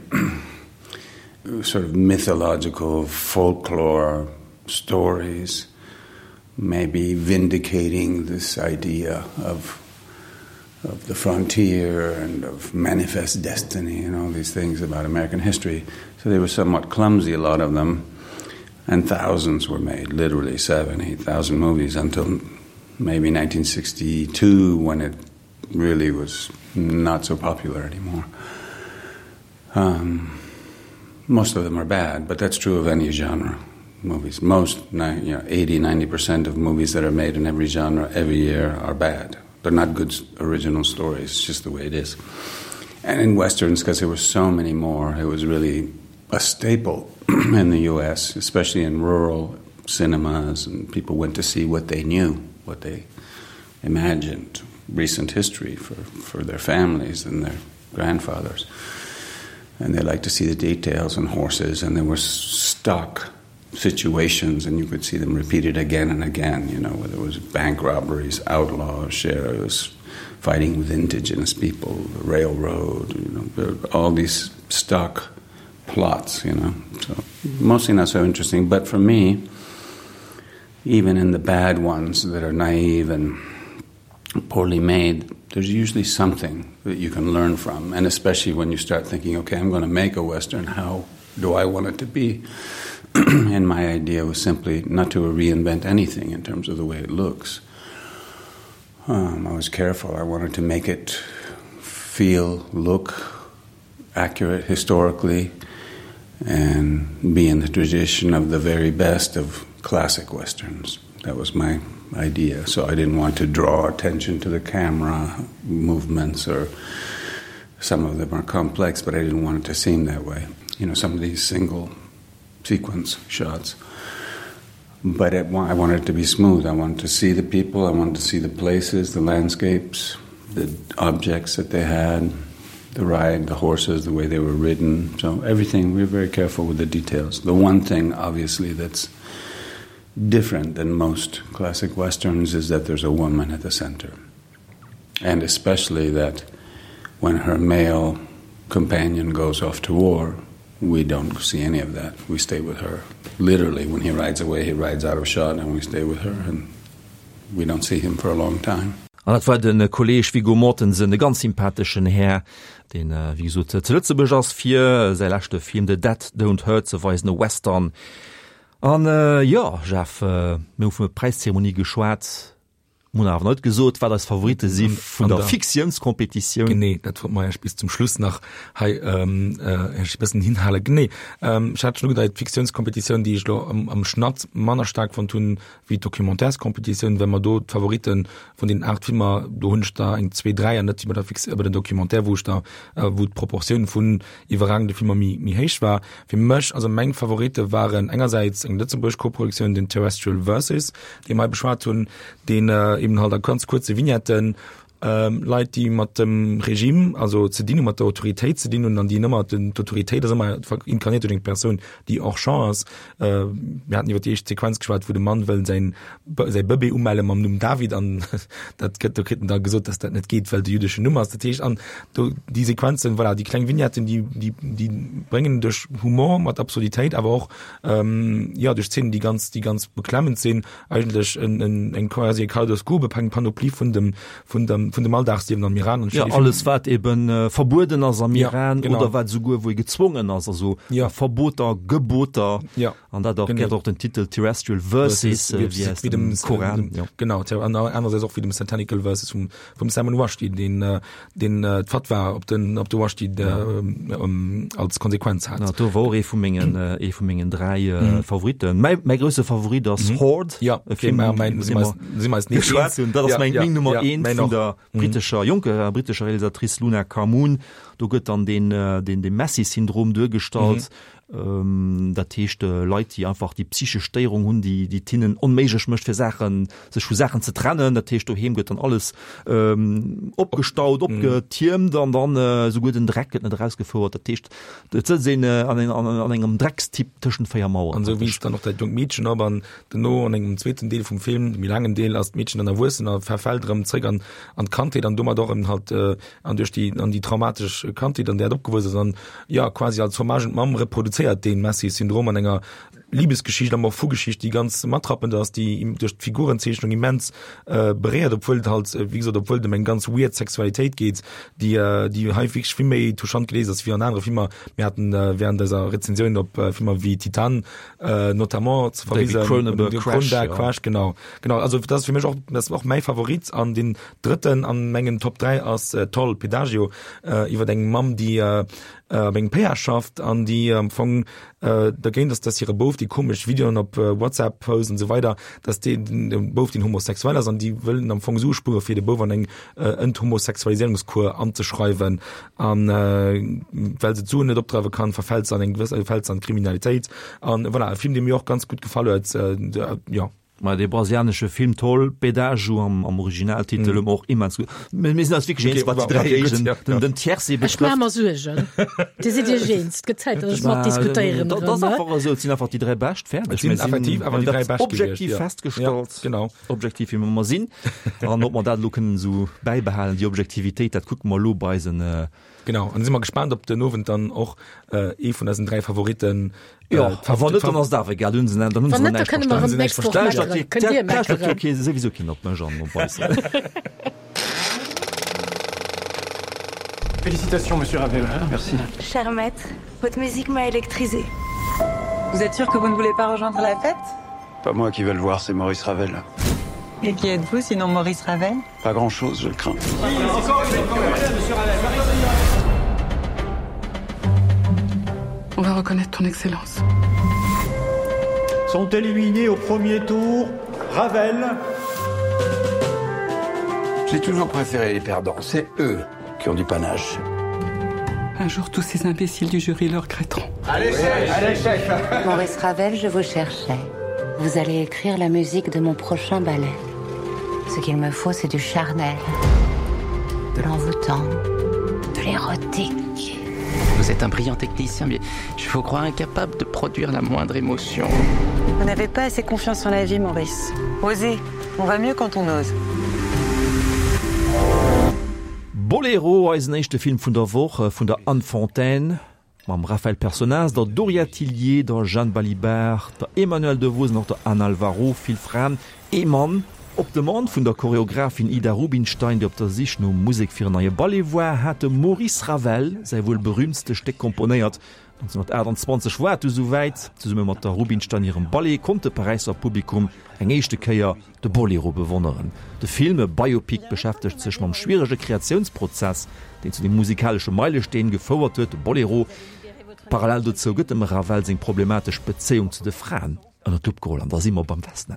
sort of mythological folklore stories, maybe vindicating this idea of of the frontier and of manifest destiny and all these things about American history. So they were somewhat clumsy, a lot of them, and thousands were made, literally seven, eight thousand movies until maybe nineteen sixty-two, when it really was not so popular anymore. Um, most of them are bad, but that's true of any genre movies. Most, you know, eighty, ninety percent of movies that are made in every genre every year are bad. They're not good original stories, it's just the way it is. And in westerns, because there were so many more, it was really a staple in the U S, especially in rural cinemas, and people went to see what they knew, what they imagined, recent history for, for their families and their grandfathers. And they liked to see the details and horses, and there were stock situations, and you could see them repeated again and again, you know, whether it was bank robberies, outlaws, sheriffs, fighting with indigenous people, the railroad, you know, all these stock plots, you know. So mostly not so interesting, but for me, even in the bad ones that are naive and poorly made, there's usually something that you can learn from and especially when you start thinking, okay, I'm going to make a western, how do I want it to be? and my idea was simply not to reinvent anything in terms of the way it looks. Um, I was careful. I wanted to make it feel, look accurate historically and be in the tradition of the very best of classic westerns. That was my idea. So I didn't want to draw attention to the camera movements or some of them are complex, but I didn't want it to seem that way. You know, some of these single sequence shots. But it, I wanted it to be smooth. I wanted to see the people, I wanted to see the places, the landscapes, the objects that they had, the ride, the horses, the way they were ridden. So everything, we were very careful with the details. The one thing, obviously, that's different than most classic westerns is that there's a woman at the center. And especially that when her male companion goes off to war, we don't see any of that. We stay with her. Literally, when he rides away, he rides out of shot and we stay with her and we don't see him for a long time. An dat war de Kolleeg Viggo Mortensen, e ganz sympatheschen Här, deen, wéi gesot, zu Lëtzebuerg ass fir säi leschte Film The Dead Don't Hurt ze weisen, e Western. An jo, Jeff, mir hu vun der Präiszeremonie geschwat, mir hunn awer net gesot, wat eis Favoritte si vun der Fiktiounskompetitioun. Genee, dat wollt mer iech bis zum Schluss nach hei iech e bëssen hinhalen. Genee, ech hat schonn ugedeit, d'Fiktiounskompetitioun, déi ech elo am Schnatt manner staark fonnt hunn wéi d'Documentaireskompetitioun, well mer do d'Favorite vun deenen aacht Filmer, do hunn ech der eng zwee, dräi an net wéi bei der Fix-, bei den Documentaire, wou ech der, wou d'Proportioun vun iwwerragende Filmer méi, méi héich war. Fir mech, also meng Favoritte waren engersäits eng lëtzebuergesch Koproduktioun, den Terrestrial Verses, dee mer hei beschwat hunn, deen eben halt a ganz kuerze Vignetten Leit, déi mat dem Regime also ze dinn hunn, mat der Autoritéit ze dinn hunn an déi ëmmer, d'Autoritéit ass ëmmer inkarnéiert duerch eng Persoun, déi hors champ ass. Mir haten iwwer déi éischt Sequenz geschwat, wou de Mann wëll säin säi Bëbee umelle mam Numm David an dat gëtt, do kritt en da gesot, datt dat net geet, well et e jüddeschen Numm ass. Dat heescht, an do déi Sequenzen, voilà, déi kleng Vignetten, déi, déi, déi bréngen duerch Humor mat Absurditéit, awer och jo duerch Zeenen, déi ganz, déi ganz beklemmend sinn, eigentlech en, en, eng quasi e Kaleidoskop, eng Panoplie vun dem, vun dem, vun dem Alldagsliewen am Iran. Ja, alles wat eben äh, verbueden ass am ja, Iran genau. oder wat souguer wou ee gezwongen ass, also ja. Verboter, Geboter ja. an dat och genau. och den Titel Terrestrial Verses äh, wie, wie dem Koran. Ja. Genau, an andererseits och wie dem Satanical Verses vum, vum Salman Rushdie, den, äh, den äh, d'Fatwa op den, op de Rushdie ja. äh, ähm, als Konsequenz hat. Ja, do wor ee vu mengen, äh, ee vu mengen dräi äh, mhm. Favoriten. Mäi, mäi grousse Favorit ass mhm. Horde. Ja, e Film, okay, mein, iwwer dee mer si mer eis net geschwat hunn. Dat ass ja, meng, ja, meng Nummer ja, eent mäin vun och. der Mhm. brittescher, jonker brittescher Realisatrice Luna Kamoun. Do gëtt dann den, äh, den, den Messi-Syndrom duergestallt. Mhm. Ähm, dat heescht äh, Leit, déi einfach déi psychesch Stéierung hunn, déi, déi et hinnen onméiglech mécht, fir Saachen, sech vu Saachen ze trennen. Dat heescht, doheem gëtt dann alles ähm, opgestaut, Mhm. opgetiermt an dann äh, souguer den Dreck gëtt net erausgefouert. Dat heescht, et sëtzt een äh, an, an, an engem Dreckstipp tëschent véier Maueren. An esou wiisst dann och dat jonkt Meedchen op an duerno an engem zweeten Deel vum Film, méi laangen Deel, ass d'Meedchen dann erwuessen a verfält erëm zréck an an d'Kandheet an domat och eben halt an duerch déi an déi traumatesch Kandheet an där et opgewuess ass an jo quasi als Hommage un d'Mamm reproduzéiert dee Messi-Syndrom an enger Libesgeschicht an och Vu-Geschicht, déi ganz matrappend ass, déi duerch d'Figurenzeechnung immens beréiert, obwuel et halt, wéi gesot, obwuel et ëm eng ganz weird Sexualitéit geet, déi déi hei wierklech vill méi touchant geléist ass wéi an anere Filmer. Mir haten während eiser Rezensioun op Filmer wéi Titane notamment ze David verwisen, Cronenberg, Crash, Cronenberg, jo. Crash, genau, genau. Also dat ass fir mech och, dat ass och mäi Favorit an deen drëtten an mengen Top dräi ass Toll, Pedagio, iwwer eng Mamm, déi op engem Péage schafft an déi am Fong dergéint ass, dass hire Bouf déi komesch Videoen op WhatsApp post an esou weider, dass dee Bouf, deen homosexuell ass an déi wëllen am Fong Sue spuere fir de Bouf an eng Enthomosexualiséierungskur anzeschreiwen an well se d'Suen net opdreiwe kann, verfält se an eng gewëss, fält se an d'Kriminalitéit an voilà, e Film, dee mir och ganz gutt gefall huet, jo. Ma dee brasilianesche Film toll, Pedágio am, am Originaltitel, mm. och immens gut. Mir sinn eis wierklech eens, wat déi dräi éischten, den, den Tiercé Ech maache betrëfft. mer Suergen. Dir sidd Iech eens. Et gëtt Zäit, datt ech mat diskutéieren Dat erëm, ass ne? einfach esou, et sinn einfach déi dräi bescht, fäerdeg. Et sinn Mir sinn, effektiv awer mir déi hunn dräi dat bescht objektiv gewiescht, ja. festgestallt. Ja, genau. Objektiv, wéi mer mer sinn. An ob mer dat elo kënnen esou bäibehalen, déi Objektivitéit, dat kucke mer elo bei eisen, Genau an si mer gespaant op den Owend dann och äh, ee vun eisen dräi Favoriten äh, Ja, a wann net, dann ass et awer egal, dann hunn se dann hunn se Wann net, da näischt kënne mer verstanen. erëm d'nächst Woch meckeren. Kënnt Dir meckeren. Okay, souwisou keen op mech an op eis. Félicitations, monsieur Ravel. Merci. Cher maître, votre musique m'a électrisé. Vous êtes sûr que vous ne voulez pas rejoindre la fête Pas moi qui vais le voir, c'est Maurice Ravel. Et qui êtes-vous sinon Maurice Ravel Pas grand-chose, je le crains. On va reconnaître ton excellence. Sont éliminés au premier tour Ravel. J'ai toujours préféré les perdants, c'est eux qui ont du panache. Un jour tous ces imbéciles du jury le regretteront. Allez, chef, allez, chef. Maurice Ravel, je vous cherchais. Vous allez écrire la musique de mon prochain ballet. Ce qu'il me faut, c'est du charnel, de l'envoûtant, de l'érotique. Vous êtes un brillant technicien, mais je vous crois incapable de produire la moindre émotion. Vous n'avez pas assez confiance en la vie, Maurice. Osez, on va mieux quand on ose. Boléro, eisen éischte Film vun der Woch vun der Anne Fontaine, mam Raphaël Personnaz, der Doria Tillier, der Jeanne Balibar, der Emmanuelle Devos an och der Anne Alvaro, vill Fraen, ee Mann. Op Demande vun der Choreographin Ida Rubinstein, déi op der Sich no Musek fir en neie Ballet war, hat de Maurice Ravel säi wuel berüümtste Stéck komponéiert. nonzénhunnertaachtanzwanzeg war et du souwäit, zesumme mat der Rubinstein hirem Ballet konnt de Paräisser Publikum eng éischte Kéier de Bolero bewonneren. De Film, e Biopic, beschäftegt sech mam schwierege Kreatiounsprozess, deen zu deem musikalesche Meilesteen gefouert huet, de Bolero. Parallel dozou gëtt dem Ravel seng problematesch Bezéiung zu de Fraen ënner d'Lupp geholl. An da si mer beim Vesna.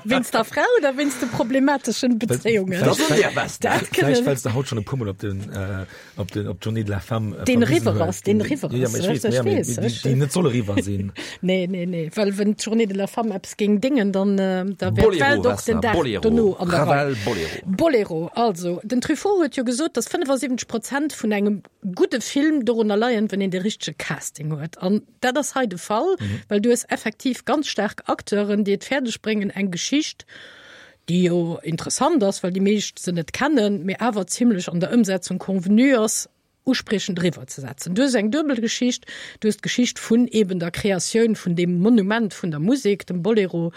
Wéinst der Fra oder wéinst de problemateschen Bezéiungen? Dat ass der Vesna. Dat kënnen. Vläicht well s de haut schonn e puermol op den, op den, op d'Journée de la Femme Deen verwisen eriwwer hues. ass, deen eriwwer Jo, jo, ass. mee ech weess, Ech mee, mee weess, déi, ech. déi net soll eriwwer sinn. Nee, nee, nee, well wenn d'Journée de la Femme eppes géing déngen, dann, da wär Bolero, d'Welt och Vesna, den Dag Bolero. dono an der Rei. Ravel, Bolero. Bolero, also, den Truffaut huet jo gesot, dass fënnefasiwwenzeg Prozent vun engem gudde Film dorunner leien, wann een de richtege Casting huet. An dat ass hei de Fall, mhm. well du hues effektiv ganz staark Acteuren, déi et fäerdeg bréngen, eng Geschicht, déi jo interessant ass, well déi meescht se net kennen, mee awer zimlech an der Ëmsetzung convenu ass, uspriechend eriwwer ze setzen. Du hues eng duebel Geschicht, du hues d'Geschicht vun eben der Kreatioun vun deem Monument vun der Musek, dem Bolero,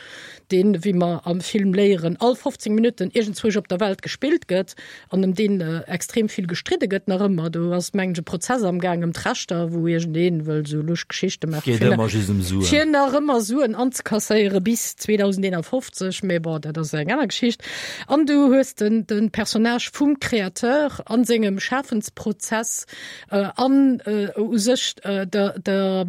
deen, wéi mer am Film léieren, all fofzéng Minutten iergendzwousch op der Welt gespillt gëtt an ëm deen extrem vill gestridde gëtt nach ëmmer. Do ass, mengen ech, e Prozess am Gaang ëm d'Rechter, wou iergendeen wëll esou lusch Geschichte maachen, Geet fir ëmmer just ëm Suen. fir nach ëmmer Suen anzekasséiere bis zweedausendeenafofzeg, mee bon, dat ass eng aner Geschicht. An du hues den, den Personnage vum Créateur an sengem Schafensprozess an u sech der, der,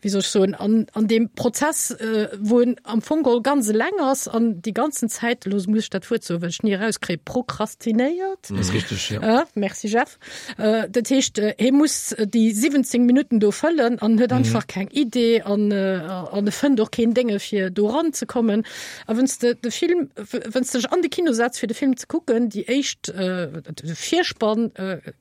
wéi soll ech soen, an, an deem Prozess, wou en am Fong geholl ganz eleng ass an déi ganzen Zäit, elo muss ech dat Wuert soen, well ech ni erauskréien, prokrastinéiert. Ass richteg, jo. Merci Jeff. Dat heescht, hie muss déi siwwenzéng Minutten do fëllen an huet einfach keng Idee an, an e fënnt och keen Dénge fir do eranzekommen. A wann s de de Film, wann s de dech an de Kino setz fir de Film ze kucken, déi éischt, de Virspann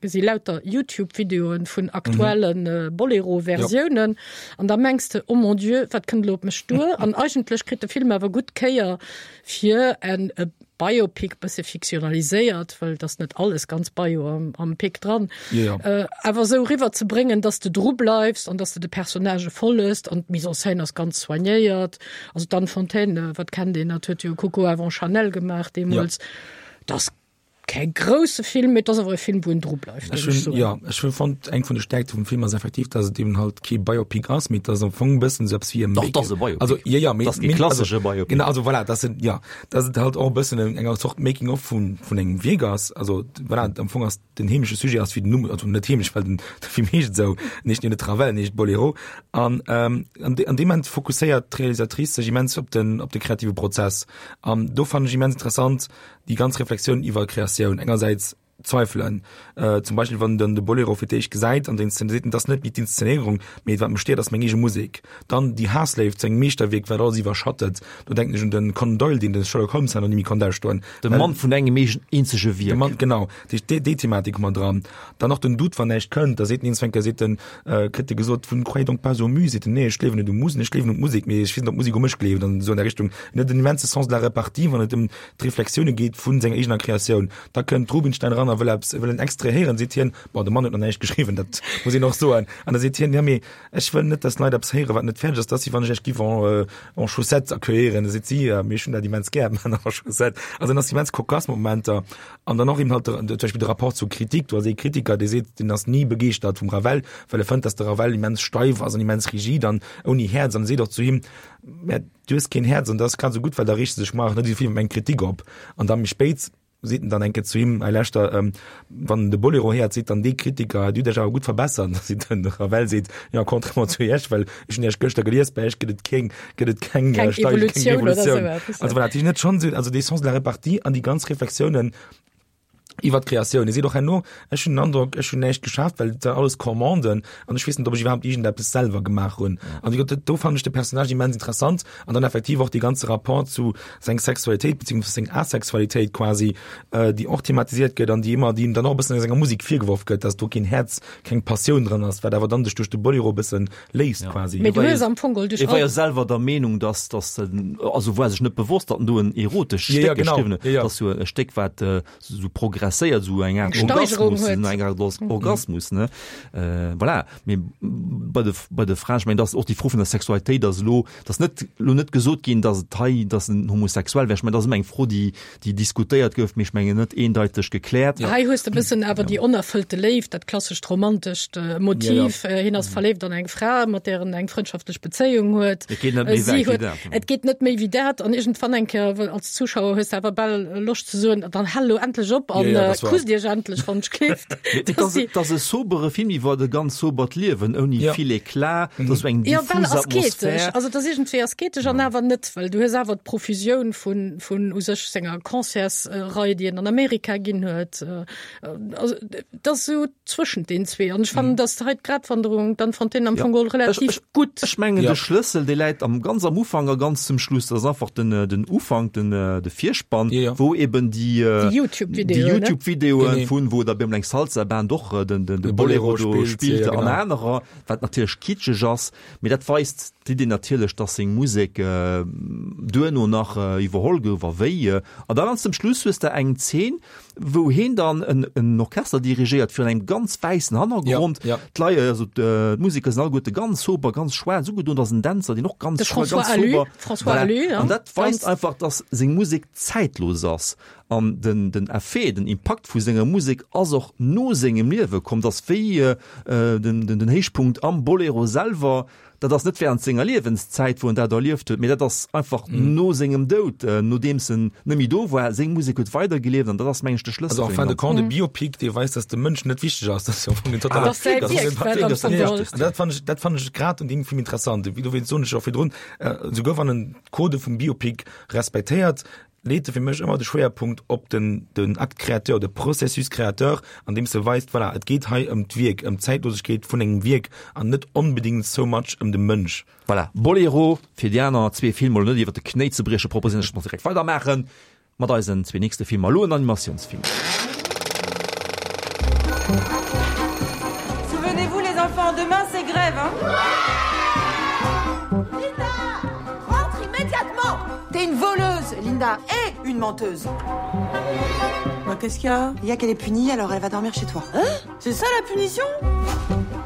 si lauter Youtube-Videoen vun aktuellen mhm. Bolero-Versiounen. An da mengs de, oh mon Dieu, wat kënnt lo op mech duer? An eigentlech kritt de Film awer gutt Kéier fir en e Biopic bësse fiktionaliséiert, well et ass net alles ganz Bio am, am Pic dran, Ja, ja. äh, awer sou riwwer ze bréngen, dass de dru bleifs an dass de de Personnagë folles an d'Mise en scène ass ganz soignéiert. Also d'Anne Fontaine, wat kennt een, dat huet jo Coco avant Chanel gemaach deemools. Ja. Dat ass Kee grousse Film, mee et ass awer e Film, wou een dru bleift, Ech géif ech hunn, soen. jo, ech hunn fonnt, eng vun de Stäerkte vum Film ass effektiv, dass et eben halt kee Biopic ass, mee et ass am Fong e bëssen esou eppes wéi e Dach, et ass e Biopic. Also, jo, jo, mee, Et ass kee mee, also, klassesche Biopic. genau, also voilà, dass et, jo, dass et halt och e bëssen eng, eng Zort Making of vun, vun engem Wierk ass. Also, voilà, am Fong ass den heemleche Sujet ass wéi den Numm, also net heemlech, well den, de Film heescht esou, en heescht jo net Ravel, en heescht Bolero. An, ähm, an de, an deem Moment fokusséiert d'Realisatrice sech immens op den, op de kreative Prozess. An do fannen ech immens interessant, déi ganz Reflexioun iwwer Kreatioun, engersäits Zweifelen, äh, zum Beispill wann den de Bolero fir d'éischt gesäit an den seet, dat ass net méi d'Inszenéierung, mee wat mech stéiert ass meng eege Musek. Dann déi Haassléift zu engem Meeschterwierk, wat alles iwwerschattet, do denken ech un den Conan Doyle, deen de Sherlock Holmes hat an ni méi konnt ausstoen. De Mann vun engem eegen eenzege Wierk. De Mann, genau. Dat heescht, déi, déi Thematik hu mer dran. Dann och den Doute, wann näischt kënnt, da seet en eens eng Kéier, seet en, äh, kritt e gesot, vous ne croyez donc pas aux muses, seet en, nee, ech gleewen net u Musen, ech gleewen un d'Musek, mee ech weess net, ob d'Musek u mech gleeft, an esou an der Richtung. En huet en immense Sens de la répartie, wann et ëm d'Reflexioune geet vu senger eegener Kreatioun. Da kënnt d'Rubinstein eran dran a wëll eppes, wëll en Extrait héieren, seet hien, bon, de Mann huet nach näischt geschriwwen, dat muss een och soen, an da seet hien, ja mee ech wëll net, dass d'Leit eppes héieren, wat net fäerdeg ass, dat ass wéi wann ech iech giff en, en chaussettes accueillieren, da seet si, ja mee ech hunn dat immens gär, Männer en chaussettes. Also dann ass immens cocasse Momenter an dann och eben halt de, zum Beispill de Rapport zur Kritik, do ass ee Kritiker, dee seet, deen ass ni begeeschtert vum Ravel, well e fënnt, dass de Ravel immens steif ass an immens rigid an ouni Häerz an e seet och zu him, mä du hues keen Häerz an dat ass grad esou gutt, well da reegst de sech mar och net esou vill iwwer meng Kritik op. An da méi spéit seet en dann eng Kéier zu him, hei lauschter, wann en de Bolero héiert, seet dann dee Kritiker, Dir hutt Iech awer gutt verbessert. Da seet den Ravel, seet, jo, contrairement zu Iech, well ech hunn Iech gëschter gelies, bei Iech gëtt et keng, gëtt et keng, Keng Steigerung, keng Evolutioun oder Evolutioun. esou eppes, Also voilà, dat heescht net schonn esou, also dee Sens de la répartie an déi ganz Reflexiounen, iwwer d'Kreatioun. E seet och herno, Ech hunn den Androck, ech hunn näischt geschaaft, well et waren alles Commanden an ech weess net, ob ech iwwerhaapt iergendeppes selwer gemaach hunn. An wéi gesot, do fannen ech de Personnage immens interessant an dann effektiv och dee ganze Rapport zu seng Sexualitéit beziehungsweise seng Asexualitéit quasi, déi och thematiséiert gëtt an déi ëmmer, déi him dann och e bëssen a senger Musek virgeworf gëtt, dass do keen Häerz, keng Passioun dran ass, wat awer dann sech duerch de Bolero e bëssen léist quasi. Mee du hues am Fong geholl duerch E war all. jo selwer der Meenung, dass, dass en, also war sech net bewosst, datt en do en erotescht Ja, ja, Stéck genau. geschriwwen huet. Ja, ja. Dat ass jo e Stéck, wat sou progresséiert, sou eng Art Eng Steigerung Orgasmus, huet. eng Art Orgasmus, ne? Äh, voilà. Mee bei de, bei de Fraen, ech mengen, dat ass och déi Fro vun der Sexualitéit ass elo, dat ass net, elo net gesot ginn, datt et hei, datt en homosexuell wär. Ech mengen, dat ass ëmmer eng Fro, déi, déi diskutéiert gouf, mee ech mengen net eendeiteg gekläert. Hei hues de e bëssen awer déi onerfëllte Léift, dat klassescht romantescht Motiv. Ja, ja. Hien ass verléift an eng Fra, mat där en eng frëndschaftlech Bezéiung huet. Et geet net méi Si wäit wéi huet, dat. et geet net méi wéi dat. An iergendwann eng Kéier, well als Zuschauer hues de awer bal Loscht ze soen, dann hal elo endlech op an Ja, ja, dat war. kusst iech endlech, wann ech gleeft. Et ass, et ass e sobere Film iwwer e ganz sobert Liewen, ouni Ja. vill Eclat, et ass esou eng Ja, well diffus asketesch. Atmosphär. Also et ass iergendwéi asketesch an awer net, well du hues awer d'Profusioun vun, vun u sech senger Concertsrei, déi en an Amerika ginn huet. Also et ass esou zwëschent den zwee. An ech fannen, dass hei d'Gratwanderung dann von denen am Ja. Fong geholl relativ Ech, ech, gutt. Ech mengen, de Schlëssel, dee läit am, ganz am Ufank a ganz zum Schluss. Dat ass einfach den, den Ufank, den, de Virspann, wou eben déi, Déi YouTube-Videoen, déi ne? YouTube-Videoen Genee. vun, wou da bemol eng Salsa-Band och den, den, de De Bolero Bolero do spillt, spillt ja, an genau. anerer, wat natierlech kitscheg ass, mee dat weist d'Idee natierlech, dass seng Musek äh, duerno nach äh, iwwerholl gouf a wéi. Äh, an dann ganz zum Schluss hues de eng Zeen, wou hien dann en, en Orchester dirigéiert virun engem ganz wäissen Hannergrond. Ja, ja. D'Leit, also d'Museker sinn alleguerte ganz sober, ganz schwaarz ugedoen, da ass en Dänzer, deen och ganz De schwa-, François ganz Alu, sober. François Voilà. Alu, ja. An dat weist Ganz einfach, dass seng Musek zäitlos ass. An den, den Effet, den Impakt vu senger Musek ass och no sengem Liewe komm, dass wéi äh, den, den, den Héichpunkt am Bolero selwer, dat ass net während senger Liewenszäit, wou en dat erlieft huet, mee dat ass einfach Mhm. no sengem Doud, äh, nodeems en net méi do war, seng Musek huet weidergelieft an dat ass mengen ech de Schlëssel Also en fir fin de den compte, de Ganzen. Biopic, dee weist, dass de Mënsch net wichteg ass, dat ass jo am Fong den totale Dass säi dat ass Wierk den wat am dat Fong ass geholl. den Dat fand ech, dat fand ech grad an deem Film interessant. Wéi dowéinst soen ech och virdrun, äh, souguer wann en d'Codë vum Biopic respektéiert, leet e fir mech ëmmer de Schwéierpunkt op den, den Acte créateur, de Processus créateur, an deem se weist, voilà, et geet hei ëm d'Wierk, ëm d'Zäitlosegkeet vun engem Wierk an net onbedingt so much ëm de Mënsch. Voilà, Bolero, fir déi aner zwee Filmer elo net iwwer de Knéi ze briechen, proposéieren ech, dass mer direkt weidermaachen mat eisen zwee nächste Filmer. Elo en Animatiounsfilm. Souvenez-vous les enfants, demain c'est grève, hein Linda Rentre immédiatement T'es une voleuse, Linda, et une menteuse. Bah qu'est-ce qu'il y a Il y a qu'elle est punie, alors elle va dormir chez toi. Hein C'est ça la punition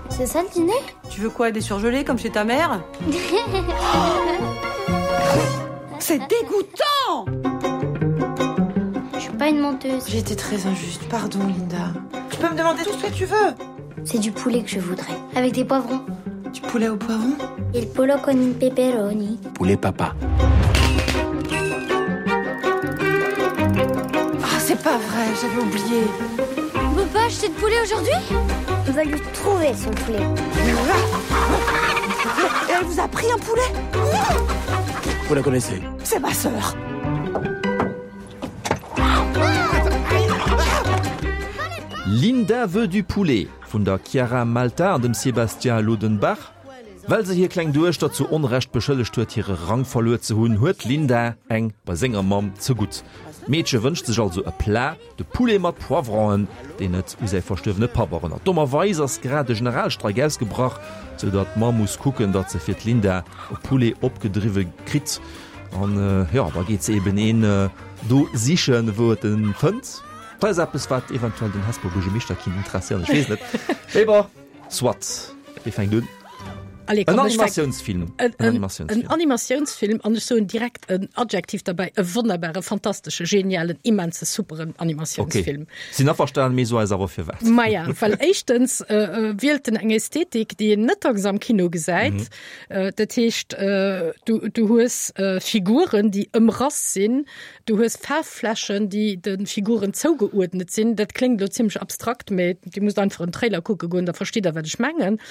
C'est ça le dîner Tu veux quoi, des surgelés comme chez ta mère C'est dégoûtant Je suis pas une menteuse. J'ai été très injuste, pardon Linda. Tu peux me demander tout ce que tu veux C'est du poulet que je voudrais, avec des poivrons. Du poulet au poivron Il pollo con i peperoni. Poulet papa. Ah, c'est pas vrai, j'avais oublié. On peut pas acheter de poulet aujourd'hui On va lui trouver son poulet. Et elle vous a pris un poulet Vous la connaissez C'est ma sœur. Linda veut du poulet vun der Chiara Malta an dem Sébastien Lodenbach. Well se hir kleng Duechter zu Onrecht beschëllegt huet, hire Rang verluer ze hunn, huet d'Linda eng bei senger Mamm zegutt. D'Meedche wënscht sech also e Plat, de Poulet mat Poivronen, deen et u säi verstuerwene Papp erënnert. Dommerweis ass grad de Generalstreik ausgebrach, sou datt d'Mamm muss kucken, datt se fir d'Linda e Poulet opgedriwwe kritt. An jo, da geet se eben een do sichen, wou et en fënnt. Dat ass eppes, wat eventuell den Hesper Buergermeeschter kinnt interesséieren, ech weess net. Mee bon, soit. Wie fänkt un? Allez, En komm, ech fänk- Animatiounsfilm. En, En en, Animatiounsfilm. en Animatiounsfilm an ech soen direkt en Adjektiv derbäi, e wonnerbare, fantastesche, genialen, immense, superen Animatiounsfilm. Okay. Sinn averstanen, mee so eis awer firwat. Maja, well éischtens äh, äh, wielt en eng Ästhetik, déi een net dacks am Kino gesäit. Mhm. Äh, dat heescht, äh, du, du hues äh, Figuren, déi ëmrass sinn, du hues Faarfflächen, déi de Figuren zougeuerdnet sinn. Dat kléngt lo zimmlech abstrakt, mee dir musst einfach en Trailer kucke goen, da verstitt der, wat ech mengen.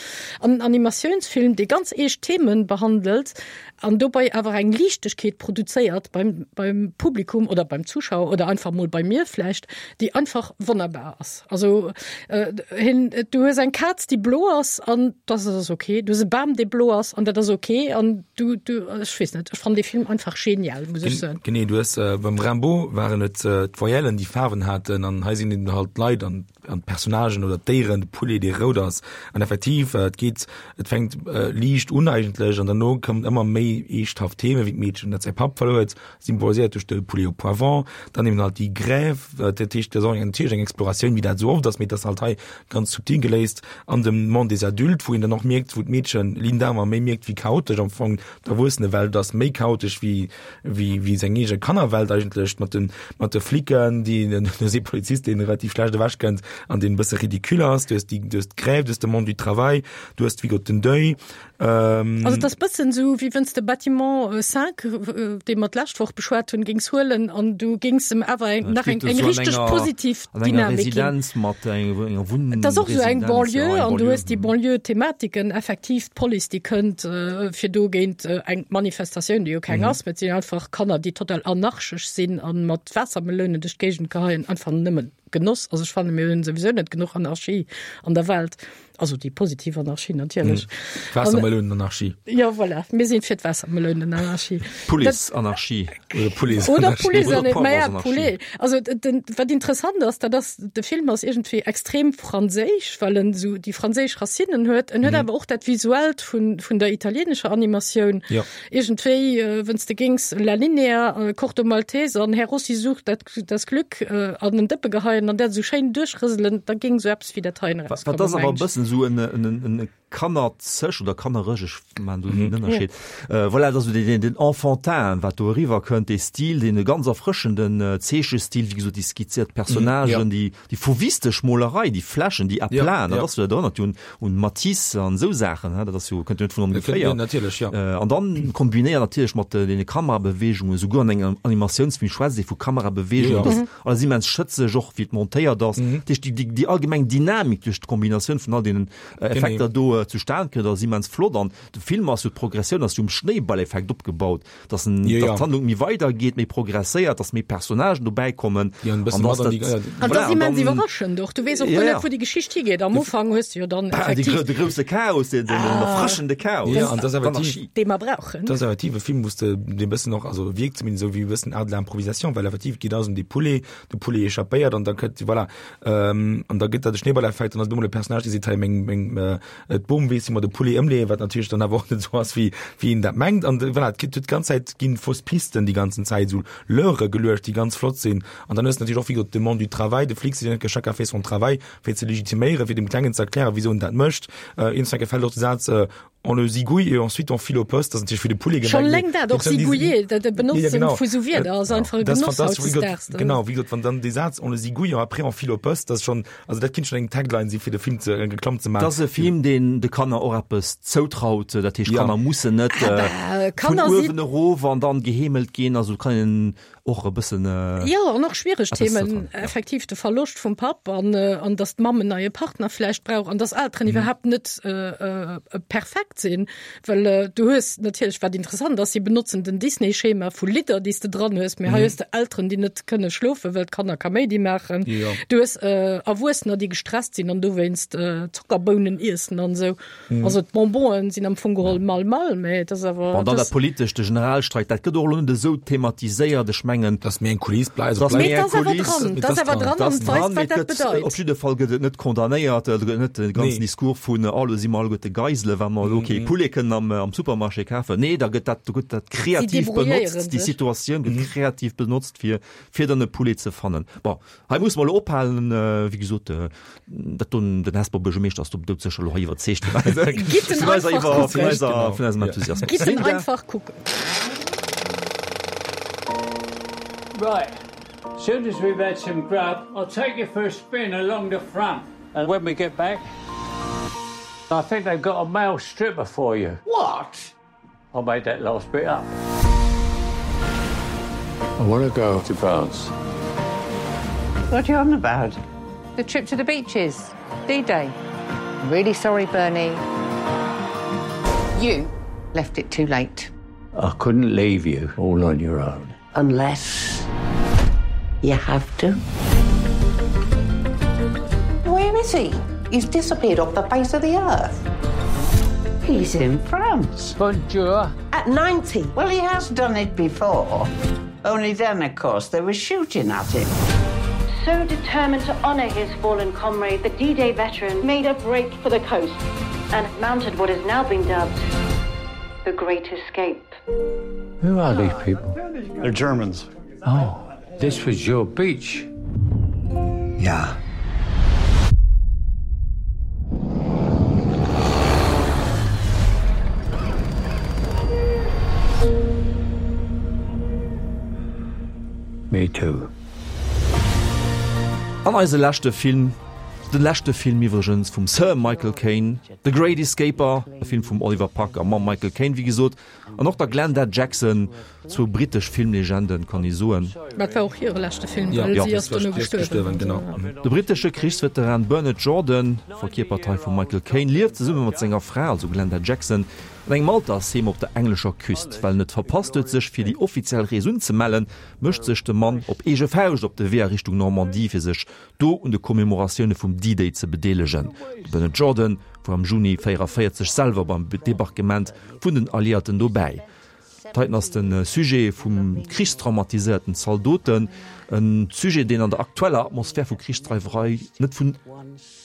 An en Animatiounsfilm, dee ganz eescht Themen behandelt an dobäi awer eng Liichtegkeet produzéiert beim, beim Publikum oder beim Zuschauer oder einfach mol bei mir vläicht, déi einfach wonnerbar ass. Also äh, hin, du hues eng Kaz, déi blo ass an dat ass okay. Du hues e Bam, dee blo ass an dat ass okay an du, du ech weess net, ech fannen de Film einfach genial, muss ech soen. Genee, du hues äh, beim Rimbaud waren et äh, d'Voyellen, déi Faarwen haten an hei sinn eben halt d'Leit an an d'Personnagen oder d'Déieren, de Poulet, dee rout ass. An effektiv, äh, et geet, et fänkt äh, liicht un eigentlech an derno kommen ëmmer méi eeschthaft Themen, wéi d'Meedchen, dat säi Papp verluer huet, symboliséiert duerch de Poulet au poivron, dann eben halt déi Grève, äh, dat heescht, dat ass och natierlech eng Exploratioun, wéi dat esou oft ass, mee dat ass halt hei ganz subtil geléist an dem Monde des adultes, wou een dann och mierkt, wou d'Meedchen Linda ëmmer méi mierkt, wéi chaotesch am Fong d'Erwuessenewelt ass, méi chaotesch wéi, wéi, wéi seng eege Kannerwelt eigentlech, mat den, mat de Flicken, déi, du hues ee Polizist, deen relativ schlecht ewech kënnt an deen e bësse ridicule ass, du hues déi, du hues d'Grève, du hues de Monde du travail, du hues wéi gesot den Deuil. Ähm, Also et ass bëssen esou, wéi wann s de Bâtiment cinq, dee mer d'lescht Woch beschwat hunn, géings huelen an du géings em awer eng, nach eng, eng richteg positiv An enger Dynamik ginn. Residenz mat enger, enger Wunn Et ass och esou eng Residenz, Banlieue ja, eng an du Banlieue. hues déi Banlieue-Thematiken, effektiv d'Police, déi kënnt, äh, fir do géint äh, eng Manifestatioun, déi jo keng Mhm. ass, mee et sinn einfach Kanner, déi total anarchesch sinn an mat Waassermelounen duerch d'Géigend geheien, einfach nëmmen Genoss. Also ech fanne mir hunn souwisou net genuch Anarchie an der Welt. Also déi positiv Anarchie natierlech. Mhm. Waassermelounenanarchie. Ja, voilà. Mir sinn fir d'Waassermelounenanarchie. Police-Anarchie. Oder Police Oder Police Oder Maja, Poivronsanarchie. Poulet. Also den, wat interessant ass, dat ass, de Film ass iergendwéi extrem franséisch, well en sou déi franséisch Racinnen huet. En huet Mhm. awer och dat Visuellt vun, vun der italienescher Animatioun. Ja. Iergendwéi, äh, wann s de géings La Linea, äh, Corto Maltese an Herr Rossi sucht dat, das Glück äh, an den Dëppe geheien an dat sou schéin duerchrëselen, da géing sou eppes wéi dat heien Wat, wat ass awer e bëssen sou en, en, en, en kannerzeg oder kannereg, ech maan do den Mhm. Ënnerscheed. Äh, voilà, dat ass sou den, den, den Enfantin, wat do eriwwer kënnt, dee Stil, dee ganz erfrëschenden äh, Zeechestil, wéi gesot, déi skizziert Personnagen, Mhm, déi, déi fauvistesch Molerei, déi Flächen, déi Ja, Aplaten, dat ja. ass jo do natierlech un, un Matisse an sou Saachen, he, dat ass jo, kënnt jo net vun Dat kënnt- ongeféier. ja, natierlech, ja. Äh, an dann kombinéiert natierlech mat de, den Kamerabeweegungen, souguer an engem Animatiounsfilm schwätzt ee vu Kamerabeweegungen, Ja. dat ass Mhm. alles immens schëtzeg, och wéi et montéiert ass. Mhm. Dat heescht, déi, déi, déi allgemeng Dynamik duerch d'Kombinatioun vun all deenen äh, Effekter do äh, zustan kënnt, ass immens flott. An de Film ass jo d'Progressioun ass jo um Schnéiballeffekt opgebaut, dass en, Ja, dass ja. d'Handlung méi weidergeet, méi progresséiert, dass méi Personnagen dobäi kommen. Ja, en bëssen An dass mat an déi- dat- ja, An Voilà, dat ass an immens dann- iwwerraschend och. Du weess och Ja, guer ja. net, wou déi Geschicht higeet. Am Ufank hues du jo dann Ah, déi effektiv gro- de grousse Chaos, den, den, den Ah. erfrëschende Chaos. Ja, an dat ass effektiv- D'Anarchie. dee mer brauchen. Dat ass effektiv e Film, wou s de dee bëssen och, also wierkt zumindest sou wéi e bëssen Art de l'improvisation, well effektiv geet alles ëm dee Poulet, de Poulet échappéiert an da kënnt, voilà, ähm, an da gëtt dat de Schneeballeffekt an dann ass op emol e Personnage, dee seet, hei, meng, meng, äh, d'Bom weess, wéi mer de Poulet ëmleeën, wat natierlech dann awer och net sou ass, wéi, wéi een dat mengt. An, voilà, et gëtt d'ganz Zäit ginn fausse Pisten déi ganzen Zäit, sou Leurre geluecht, déi ganz flott sinn. An dann hues de natierlech och, wéi gesot, de Monde du travail, de Flic seet chacun fait son travail, fir ze legitiméieren, fir dem Klengen ze erklären, wisou en dat mécht. Äh, iergendwann gefält och de Saz, äh, on le zigouille et ensuite on file au poste, dat ass natierlech fir de Poulet Schon gemengt. läng dat och zigouiller, dat de Benotzen Ja, genau. vu sou Wierder ass einfach e Dat ass Genoss fantastesch, wéi gesot, hautdesdaags. Genau, wéi gesot, wann dann dee Saz on le zigouille après on file au poste, dat ass schonn, also dat kinnt schonn eng Tagline si fir de Film ze, eng Reklamm ze maachen. Dat ass e Film, deen de Kanner och eppes zoutraut, dat heescht, Ja. Kanner mussen net Aber äh, vun Kanner si uewen erof an dann geheemelt ginn, also kann een och e bëssen äh, Ja, an och schwiereg eppes Themen, zoutrauen, ja. effektiv de Verloscht vum Papp an, äh, an dass d'Mamm en neie Partner vläicht brauch an dass Elteren Mhm. iwwerhaapt net äh, äh, perfekt sinn, well äh, du hues natierlech wat interessant ass, si benotzen den Disney-Schema vu Lidder, déi s de dran hues, mee hei Mhm. hues de Elteren, déi net kënne schlofen, well d'Kanner Kaméidi maachen. Ja. Du hues äh, Erwuessener, déi gestresst sinn an dowéinst äh, Zockerbounen iessen an sou. Mhm. Also d'Bonbonen sinn am Fong geholl mal mal, mee dat ass awer Bon, dann dat dat politescht, de Generalstreik, dat gëtt och elo net esou thematiséiert. Ech mengen, Dat ass méi eng Kuliss, dat ass méi eng Kuliss, Dat ass awer dran an weist, wat dat bedeit. Op jidde Fall gëtt et net condamnéiert, et gëtt net de ganzen Discours vun, oh elo si mer alleguerte Geisele well mer elo kee Poulet kënnen am am Supermarché kafen. Nee, da gëtt dat, do gëtt dat kreativ benotzt, déi Situatioun gëtt kreativ benotzt fir fir dann e Poulet ze fannen. Bon, hei musse mer elo ophalen, wéi gesot, dat doen, den Hesper Buergermeeschter ass do doudsécher elo hei iwwerzeegt vun eiser Gitt en vun eiser einfach iwwer vun kucken. eiser vun eisem Enthusiasmus. Gitt en Linda. einfach kucken. Right. Soon as we've had some grub, I'll take you for a spin along the front. And when we get back, I think they've got a male stripper for you. What? I made that last bit up. I want to go to France. What are you on about? The trip to the beaches, D-Day. Really sorry, Bernie. You left it too late. I couldn't leave you all on your own. Unless you have to. Where is he? He's disappeared off the face of the earth. He's in France. Bonjour. At ninety. Well, he has done it before. Only then, of course, they were shooting at him. So determined to honor his fallen comrade, the D-Day veteran made a break for the coast and mounted what has now been dubbed the Great Escape. Who are these people? They're Germans. Oh, this was your beach. Yeah. Me too. An eise leschte Film, de leschte Film iwwregens vum Sir Michael Caine, The Great Escaper, e Film vum Oliver Parker mam Michael Caine, wéi gesot, an och der Glenda Jackson, zwou britesch Filmlegenden, kann ee soen. Dat war och hire leschte Film, Ja, well ja, si ass dono gestuerwen. De britesche Krichsveteran Bernard Jordan, verkierpert hei vum Michael Caine, lieft zesumme mat senger Fra, also Glenda Jackson, an engem Altersheem op der englescher Küst. Well en et verpasst huet, sech fir déi offiziell Rees unzemellen, mécht sech de Mann op eege Fauscht op de Wee a Richtung Normandie, fir sech do un de Commemoratioune vum D-Day ze bedeelegen. De Bernard Jordan war am Juni véieranvéierzeg selwer beim Debarquement vun den Alliéierten dobäi. Dat heiten ass de Sujet vum krichstraumatiséierten Zaldoten, e Sujet, deen an der aktueller Atmosphär vu Krichsdreiwerei net vun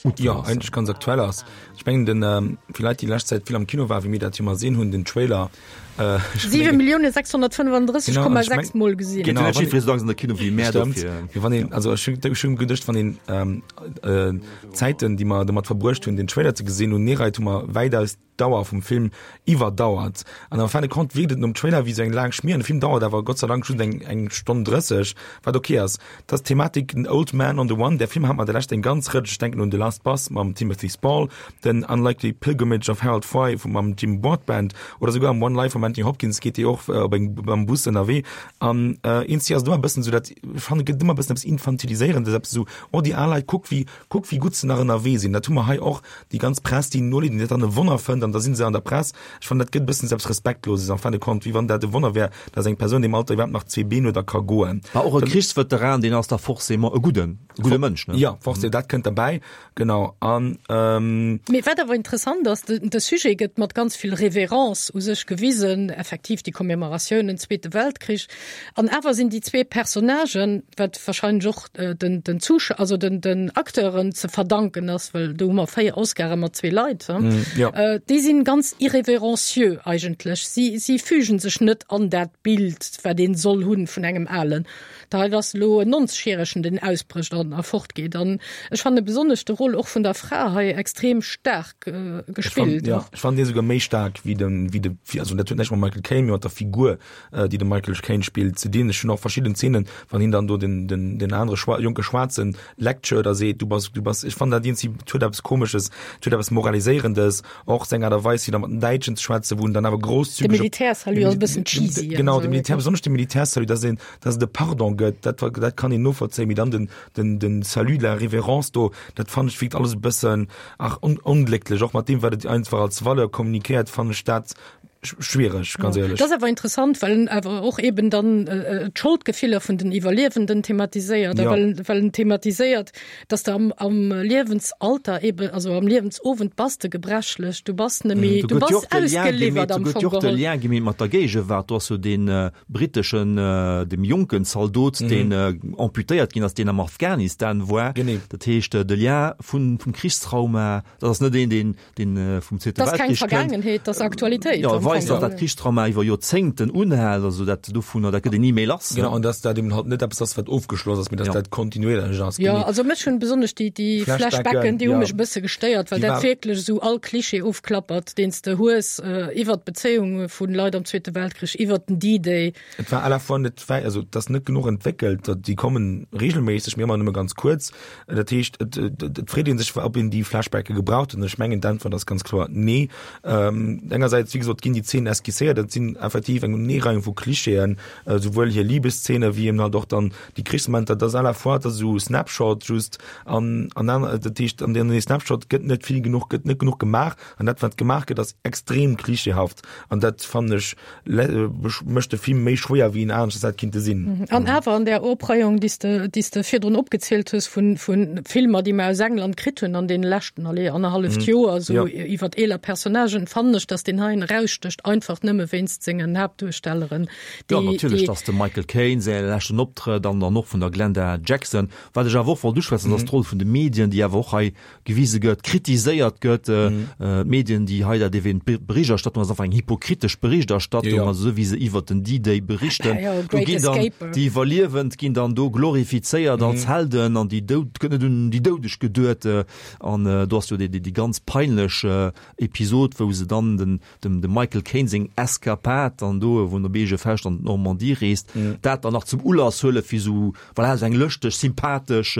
Muttwëll Jo, ass. eigentlech ganz aktuell ass. Ech mengen, den, fir Leit, déi lescht Zäit vill am Kino waren, wéi mir dat jo ëmmer sinn, hunn den Trailer, ech Siwe mengen, Millioune sechshonnertfënnefandrësseg Genau, an Komma ech meng, sechs Mol gesinn. genau, Geet jo net wann jiddweree sou dacks an de Kino wéi mär Stëmmt. dofir. Mee wann een, also ech hunn, ech hunn geduecht, wann een d'Zäiten, déi mer domat verbruecht hunn, den Trailer ze gesinn, un Neereit hu mer wäitaus d'Dauer vum Film iwwerdauert. An en fin de compte wierkt et nom Trailer wéi sou eng laang Schmier. An de Film dauert awer Gott sei Dank just eng, eng Stonn drësseg, wat ok ass. Dat ass d'Thematik den Old Man on the Run. Där Film hat mer der lescht eng ganz Rëtsch, ech denken un The Last Bus mam Timothy Spall, den Unlikely Pilgrimage of Harold Fry vum mam Jim Broadbent oder souguer am One Life vum Anthony Hopkins geet dee och op eng, mam Bus ënnerwee. An eenzi ass et ëmmer e bëssen sou dat, ech fannen et gëtt ëmmer e bëssen eppes Infantiliséierendes, eppes esou, oh déi al Leit, kuck wéi, kuck wéi gutt se nach ënnerwee sinn. Dat hu mer hei och, déi ganz Press, déi noliit, déi dat dann e Wonner fënnt an da si se an der Press. Ech fannen, dat gëtt e bëssen eppes Respektloses en fin de compte, wéi wann dat e Wonner wär, dass eng Persoun deem Alter iwwerhaapt nach zwee Been huet a ka goen. Mä och e Krichsveteran, deen ass da forcément e gudden, e gudde Mënsch, ne? Jo, forcément, dat kënnt derbäi, genau. An. Mee wat awer interessant ass, de, de Sujet gëtt mat ganz vill Reverence u sech gewisen, effektiv déi Commemoratiounen, Zweete Weltkrich, an awer sinn déi zwee Personnagen, wat wahrscheinlech och den, den Zusch-, also den, den Acteuren ze verdanken ass, well do hu mer véier Oscare mat zwee Leit, he, déi sinn ganz irrévérencieux eigentlech. Si, si fügen sech net an dat Bild, wat een soll hunn vun engem Alen. Da hei ass elo en Nonzegjäregen, deen ausbrécht an a fortgeet. An ech fanne besonnesch de Rôle och vun der Fra hei extrem staark gespillt. Ja, ech fannen dee souguer méi staark wéi de, wéi de, also dat huet näischt mam Michael Caine, mee mat der Figur, déi de Michael Caine spillt, ze dinn. Ech hunn och verschidden Zeenen, wann hien dann do den, den, den anere Schwa-, jonke Schwaarzen lectured a seet, du bass, du bass, ech fannen dat iergendwéi, et huet eppes Komesches, et huet eppes Moraliséierendes, och seng Aart a Weis, wéi da mat den Däitschen ze schwätzen, wou en dann awer De großzügig op, Militärsalut ass e bëssen cheesy. Genau, de Militär, besonnesch de Militärsalut, dass een, dass et e Pardon gëtt, dat, dat kann een novollzéien, mee dann den, den, den Salut de la révérence do, dat fannen ech wierkt alles e bëssen, ach, on, onglécklech, och mat deem, wat et einfach als Valeur kommunikéiert, fannen ech dat Schwiereg, ganz éierlech. Dat ass awer interessant, well en awer och eben dann d'Scholdgefiller vun den Iwwerliewenden thematiséiert a well well en thematiséiert, dass de am am Liewensalter eben, also am Liewensowend bass de gebrechlech, du bass net méi, du bass ausgeliwwert am Fong geholl. Do gëtt jo och de Lien gemeet mat der Géigewaart. Do ass jo dee britteschen, deem jonken Zaldot, deen amputéiert ginn ass, deen am Afghanistan war. Dat heescht, de Lien vun vum Krichstrauma, dat ass net een, deen deen vum Zweete Weltkrich kënnt. Dat ass keng Vergaangenheet, dat ass Aktualitéit. Jo, weist, datt dat Krichstrauma iwwer Joerzéngten unhält, also dat dovunner, dat gëtt een ni méi lass. Genau, an datt dat eben halt net eppes ass, wat ofgeschloss ass, mee datt dat kontinuéierlech ass. Jo, also mech hunn besonnesch déi, déi Flashbacken, déi hu mech e bësse gestéiert, well dat wierklech esou all Klischee ofklappert, deen s de hues iwwert d'Bezéiunge vu Leit am Zweete Weltkrich, iwwert den D-Day. Et war à la fois net wäi, also et ass net genuch entwéckelt, déi kommen regelméisseg, mee ëmmer nëmme ganz kuerz. Dat heescht, et, et freet ee sech, ob een déi Flashbacke gebraucht huet. An ech mengen, d'Äntwert ass ganz kloer nee. Ähm, engersäits, wéi gesot, ginn déi Zeenen esquisséiert, dat sinn effektiv eng Unenereihung vu Klischeeën, souwuel hir Liebeszene wéi eben halt och dann déi Krichsmomenter. Dat ass à la fois, dat ass esou Snapshot just an, an aner, dat heescht, an deene Snapshot gëtt net vill genuch, gëtt net genuch gemaach an dat, wat gemaach gëtt, ass extrem klischeehaft an dat fannen ech mécht de Film méi schwéier, wéi en aneschters hätt kinnte sinn. An awer an där Opreihung, déi s de, déi s de virdrun opgezielt hues vun, vun Filmer, déi mer aus England kritt hunn an deene leschten, allez, annerhalleft Joer, esou iwwert eeler Personnagen, fannen ech, dass deen heien erausstécht, einfach nëmme wéinst sengen Haaptduerstelleren, déi, Jo, natierlech, dass dem Michael Caine säi leschten Optrëtt an dann och vun der Glenda Jackson. Wat ech awer och wollt uschwätzen, ass d'Roll vun de Medien, déi awer och hei gewise gëtt, kritiséiert gëtt. D'Medien, déi hei dat ewent d'Berichterstattung ass einfach eng hypokritesch Berichterstattung, also esou wéi se iwwert den D-Day berichten. Do ginn dann déi Iwwerliewend ginn dann do glorifizéiert als Helden an déi Doud, et gëtt net un déi Doudeg geduet. An do ass jo déi déi ganz peinlech Episod, wou se dann den dem dem Michael Caine seng Eskapad dann do, wou en op eege Fauscht an d'Normandie reest, dat dann nach zum Ulass huele fir esou, voilà, esou eng lëschteg, sympathesch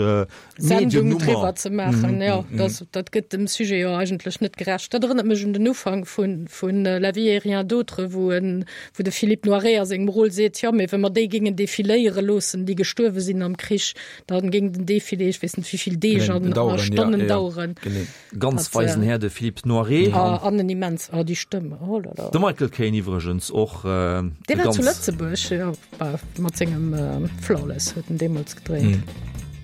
Sendung driwwer ze maachen. Jo, dat dat gëtt dem Sujet jo eigentlech net gerecht. Dat erënnert mech un den Ufank vun vun La vie et rien d'autre, wou en wou de Philippe Noiret a sengem Rôle seet, jo, mee wa mer déi géingen defiléiere loossen, déi gestuerwe sinn am Krich, dann géing den Defilé ech weess net wéi vill Deeg an a Stonnen daueren. Ganz weisen Här, de Philippe Noiret. An en immens, oh déi Stëmm, oh là là. De Michael Caine iwwregens och. Dee war zu Lëtzebuerg, jo, mat sengem Flawless huet en deemools gedréint.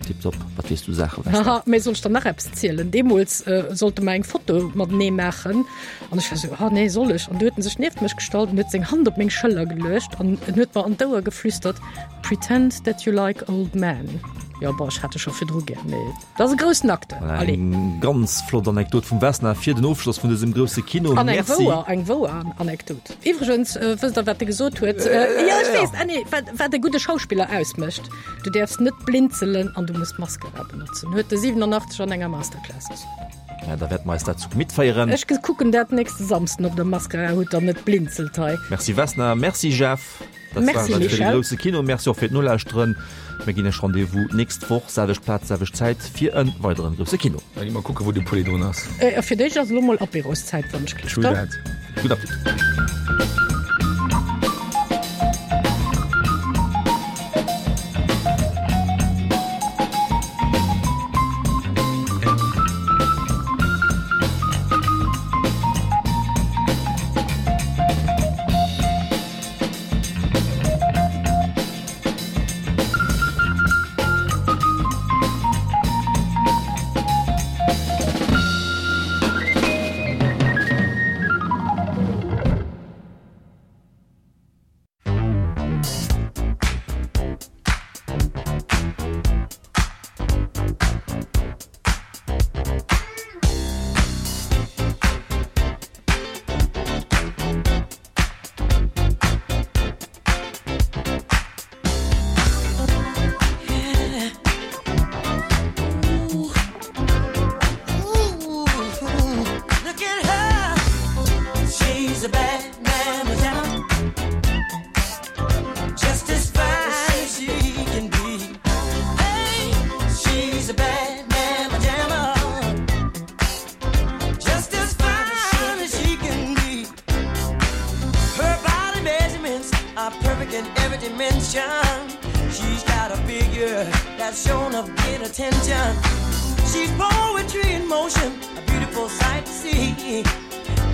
Tiptop, wat weess du Saache, Vesta. Haha, mee soll ech der nach eppes zielen? Deemools sollte mer eng Foto matenee maachen an ech war esou, oh nee, soll ech? An du huet en sech nieft mech gestallt an huet seng Hand op meng Schëller geluecht an en huet mer an d'Ouer geflüstert, Pretend that you like old men. Jo, bon, ech hat e scho virdru gär, mee dat ass e groussen Acteur. Voilà, Allez. eng ganz flott Anekdot vum Vesna fir den Ofschloss vun dësem grousse Kino. An eng Merci. wouer, eng wouer Anekdot. Iwwregens, wësst der, wat e gesot huet? Jo, ech weess, ah nee, wat, wat e gudde Schauspiller ausmécht, Du däerfs net blinzelen an du muss Mascara benotzen, huet de siwenanachtzeg an enger Masterclass gesot. Ja, da wäerte mer eis dat zu Gemitt féieren. Ech kucken dat nächste Samsden op der Mascara hutt der net blinzelt hei. Merci Vesna, merci Jeff. Dat Merci war et fir de Michel. grousse Kino. Merci och fir d'Nolauschteren. Mir ginn iech Rendez-vous d'nächst Woch, selwecht Plaz, selwecht Zäit, fir e weideren grousse Kino. Da gi mer kucken, wou de Poulet drun ass. A fir d'éischt ass elo mol Apéroszäit, wann ech True gleeft. that. Gudden Appetit.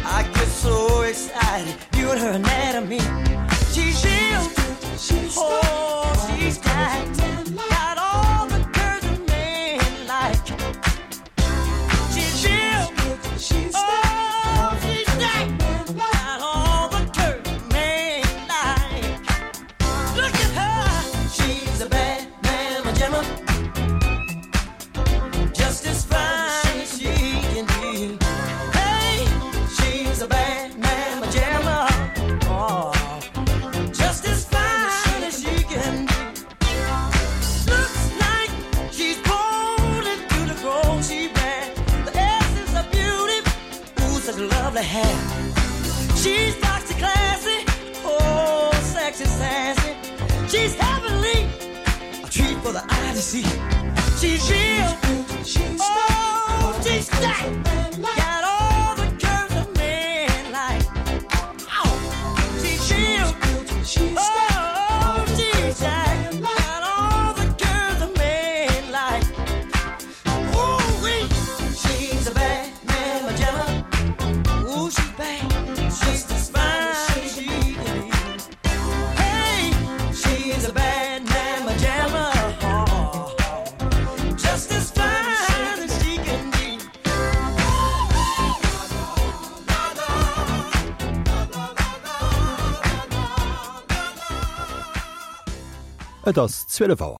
I get so excited viewing her anatomy. She's real, she's oh, she's got, got all the curves a man like. She's real, she's oh, she's got, got all the curves a man like. Look at her, she's a bad mama jamma, just as fine as she can be. Hey, she's a bad mama jamma, oh, just as fine as she can be. Looks like she's born into the gold she wears. The essence of beauty, ooh, such lovely hair. She's foxy, classy, oh, sexy, sassy. She's heavenly, a treat for the eye to see. She's real, she's oh, she's stacked, got all the curves a man like. Ow. She's real, oh, she's stacked, got all the curves a man like. Ooh wee, she's a bad mama jamma. Ooh, she's bad, she's as fine as she can be. Hey, she's a bad mama jamma. Just as fine as she can be. Et ass zwielef Auer.